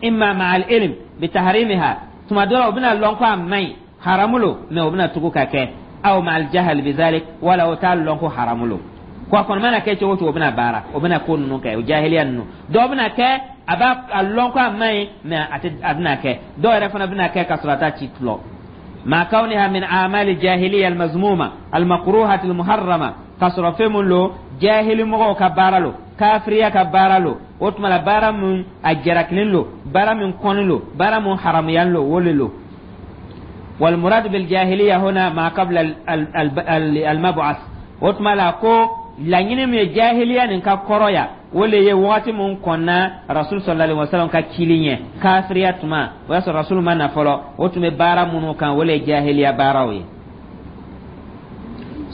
Imma ma'al ilm bi tahrimiha, tuma dɔ la o bɛna lɔn ko a man ɲi, haramu lo, mɛ o bɛna tugu ka kɛ. Aw ma'al jahal bi zalik, wala o t'a lɔn ko haramu lo. Ko a kɔni mana kɛ cogo o cogo, o bɛna baara, o bɛna ko ninnu kɛ, o jahiliya ninnu. Dɔw bɛna kɛ, a b'a a lɔn ko a man ɲi, mɛ a tɛ, a bɛna kɛ. Dɔw yɛrɛ fana bɛna kɛ ka sɔrɔ a t'a ci tulɔ. Ma kawniha min amali jahiliya almazmuma almakruhati almuharrama, ka sɔrɔ fɛn mun lo, jahili mɔgɔw ka baara lo, kafiriya ka baara lo. O tuma la, baara mun a jarakilen lo, baara min kɔni lo, baara mun haramuyan lo, o le lo. والمراد بالجاهلية هنا ما قبل المبعث. O tuma la ko laɲini min ye jahiliya nin ka kɔrɔya, o le ye wagati mun kɔnna Rasul sallallahu alaihi wasallam ka cili ɲɛ, kafiriya tuma, o y'a sɔrɔ Rasul ma na fɔlɔ, o tun bɛ baara minnu kan, o le ye jahiliya baaraw ye.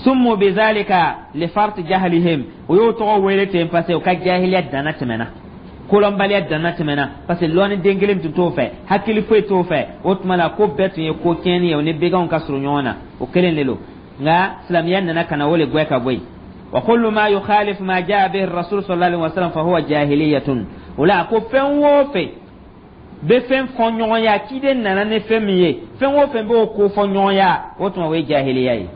Summu bizalika li fart jahlihim, o y'o tɔgɔ wele ten parce que o ka jahiliya danna tɛmɛna, kolɔnbaliya danna tɛmɛna, parce que lɔnni den kelen tun t'o fɛ, hakili foyi t'o fɛ. O tuma la ko bɛɛ tun ye ko tiɲɛni ye, o ni beganw ka surun ɲɔgɔn na, o kelen de don. Nka silamɛya nana ka na o le gwɛ ka bɔ yen. Wa kullu ma yukhalif ma jaa bihi rasul sallallahu alaihi wasallam fa huwa jahiliyatun. O la ko fɛn o fɛn bɛ fɛn fɔ ɲɔgɔnya, ciden nana ni fɛn min ye, fɛn o fɛn b'o ko fɔ ɲɔgɔnya, o tuma o ye jahiliya ye.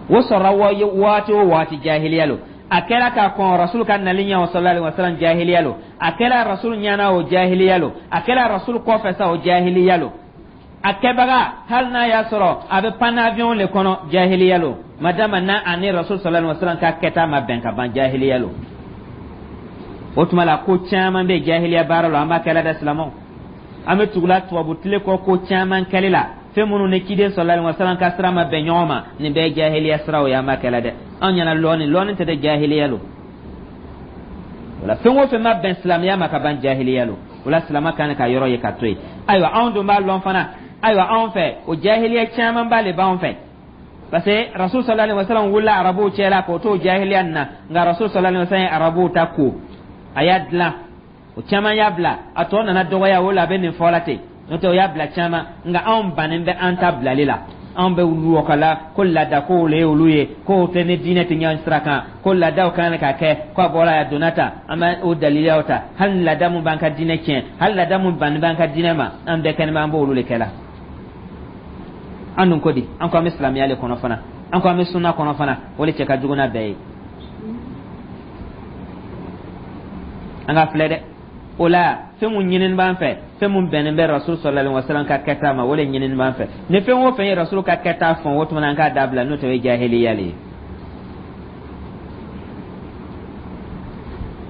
O sɔrɔla waati o waati, jahiliya lo. A kɛra ka kɔn Rasul ka nali ɲɛ o sallallahu alaihi wasallam, jahiliya lo. A kɛra Rasul ɲɛna o, jahiliya lo. A kɛra Rasul kɔfɛ sa o, jahiliya lo. A kɛbaga, hali n'a y'a sɔrɔ a bɛ pan avion le kɔnɔ, jahiliya lo. Madama n'a ani Rasul sallallahu alaihi wasallam ka kɛta ma bɛn ka ban, jahiliya lo. O tuma la ko caman bɛ jahiliya baara la, an b'a kɛla dɛ. Silamɛw, an bɛ tugula tubabu tile kɔ ko caman kɛli la, fɛn minnu ni ciden sallallahu alaihi wasallam ka sira ma bɛn ɲɔgɔn ma, nin bɛɛ ye jahiliya siraw ye, an b'a kɛla dɛ. Anw ɲɛna lɔɔni, lɔɔni tɛ dɛ, jahiliya lo. Wala fɛn o fɛn ma bɛn silamɛya ma ka ban, jahiliya lo. O la silama kan ka yɔrɔ ye ka to yen. Ayiwa, anw dun b'a lɔn fana. Ayiwa, anw fɛ, o jahiliya caman ba le b'anw fɛ, parce que Rasul sallallahu alaihi wasallam wulila arabuw cɛ la k'o to jahiliya nin na. Nka Rasul sallallahu alaihi wasallam ye arabuw ta ko a y'a dilan, o caman y'a bila, a tɔ nana dɔgɔya. O la a bɛ nin fɔ la ten, n'o tɛ o y'a bila caman. Nka anw bannen bɛ an ta bilali la. Anw bɛ wɔkala ko laada kow le ye olu ye, kow tɛ ni diinɛ tɛ ɲɔgɔn sira kan, ko laadaw kan ka kɛ, ko a bɔra a donna ta, an bɛ o dalilaw ta. Hali ni laada mun b'an ka diinɛ tiɲɛ, hali laada mun bannen b'an ka diinɛ ma, an bɛɛ kɛnɛ bɛ, an b'olu de kɛ la. An dun ko di? An ko an bɛ silamɛya le kɔnɔ fana, an ko an bɛ sunna kɔnɔ fana, o de cɛ ka jugu n'a bɛɛ ye. An ka filɛ dɛ. O la fɛn mun ɲinini b'an fɛ, fɛn mun bɛnnen bɛ Rasul sallallahu alaihi wasallam ka kɛta ma, o de ɲinini b'an fɛ. Ni fɛn o fɛn ye Rasul ka kɛta fɔn, o tuma na an k'a dabila, n'o tɛ o ye jahiliya le ye.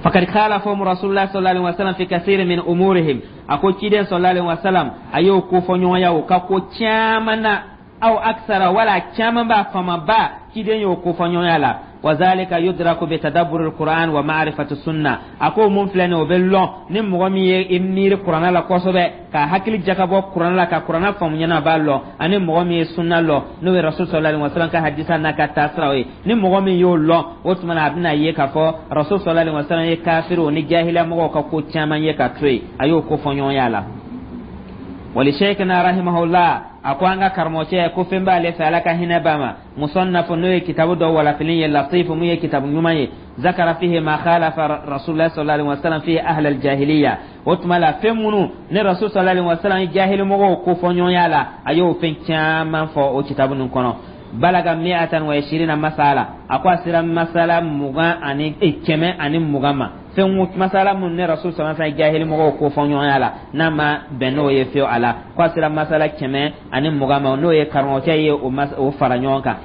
Fakad khalafahum rasulullah sallallahu alaihi wasallam fi kathir min umurihim, a ko ciden sallallahu alaihi wasallam a y'o ko fɔ ɲɔgɔnya o ka ko caman na, aw aksara, wala caman b'a famaba, ciden y'o ko fɔ ɲɔgɔnya la. Wa zalika yudraku bi tadabbur alquran wa ma'rifati sunna. A ko mun filɛ nin, o bɛ lɔn ni mɔgɔ min ye i miiri kuranna la kosɛbɛ, ka hakili jakabɔ kuranna la, ka kuranna faamu ɲɛna, a b'a lɔn. Ani mɔgɔ min ye sunna lɔn, n'o ye Rasul sallallahu alaihi wasallam ka hadisa n'a ka taasiraw ye, ni mɔgɔ min y'o lɔn, o tuma na a bɛna ye k'a fɔ Rasul sallallahu alaihi wasallam ye kafiriw ni jahiliya mɔgɔw ka ko caman ye ka to yen, a y'o ko fɔ ɲɔgɔnya la. Wali sheikhna rahimahullah, a ko an ka karamɔgɔcɛ ko fɛn b'ale fɛ, Ala ka hinɛ b'a ma, musannafo, n'o ye kitabu dɔ walafili ye, latifu, mun ye kitabu ɲuman ye, zakara fihi ma khalafa rasulullah sallallahu alaihi wasallam fihi ahl aljahiliya. O tuma la fɛn minnu ni Rasul sallallahu alaihi wasallam ye jahili mɔgɔw ko fɔ ɲɔgɔnya la, a y'o fɛn caman fɔ o kitabu nin kɔnɔ. Balaga 120 masala, a ko a sera masala 120 ma. Fɛn masala minnu ni Rasul sallallahu alaihi wasallam jahili mɔgɔw ko fɔ ɲɔgɔnya la, n'a ma bɛn n'o ye fiyewu a la, ko a sera masala 120 ma, n'o ye karamɔgɔcɛ ye o fara ɲɔgɔn kan.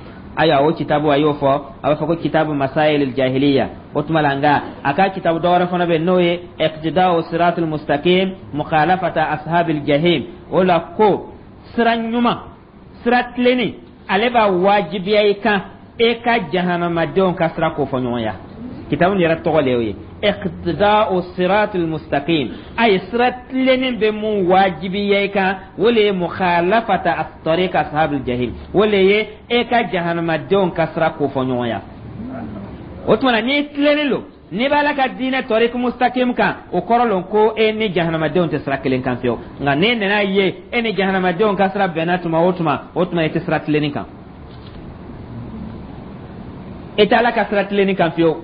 Ayiwa, o kitabu, a y'o fɔ, a b'a fɔ ko kitabu Masail Jahiliya. O tuma la, nka a ka kitabu dɔwɛrɛ fana bɛ yen, n'o ye Iqtida'u Siratul Mustaqim Mukhalafata Ashabil Jahim. O la ko sira ɲuman, sira tilenni, ale b'a wajibiya i kan e ka jahanamadenw ka sira kofɔɲɔgɔnya. Kitabu nin yɛrɛ tɔgɔ le y'o ye, Iqtida'u Siratul Mustaqim. A ye sira tilenni bɛ mun wajibiya i kan, o le ye mukhalafata tariq ashabil jahim, o le ye e ka jahanamadenw ka sira kofɔɲɔgɔnya. O tuma na, n'i tilennen don, n'i b'a la ka diinɛ tariq mustaqim kan, o kɔrɔ lon ko e ni jahanamadenw tɛ sira kelen kan fiyewu. Nka n'e nana ye e ni jahanamadenw ka sira bɛnna tuma o tuma, o tuma e tɛ sira tilenni kan, e tɛ Ala ka sira tilenni kan fiyewu.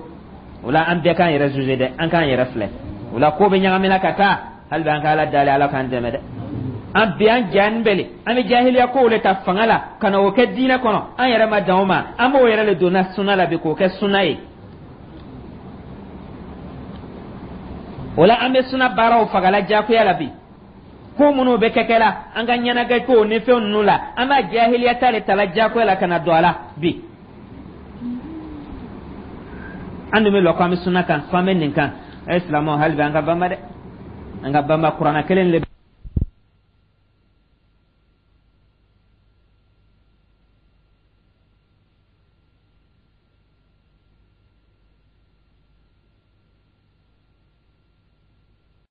O la, an bɛɛ k'an yɛrɛ juger dɛ, an k'an yɛrɛ filɛ. O la, ko bɛ ɲagamina ka taa. Hali bi an ka Ala dali, Ala k'an dɛmɛ dɛ. An bi an jaani bɛle, an bɛ jahiliya kow le ta fanga la ka na o kɛ diinɛ kɔnɔ. An yɛrɛ ma dan o ma, an b'o yɛrɛ le donna suna la bi k'o kɛ suna ye. O la, an bɛ suna baaraw fagala jagoya la bi. Ko minnu bɛ kɛ kɛla an ka ɲɛnajɛ kow ni fɛn ninnu la, an b'a jahiliya ta de tala jagoya la ka na don a la bi. An dun bɛ lɔ ko an bɛ suna kan, ko an bɛ nin kan. Ɛ silamɛw, hali bi an ka banba dɛ, an ka banba. Kuranna kelen le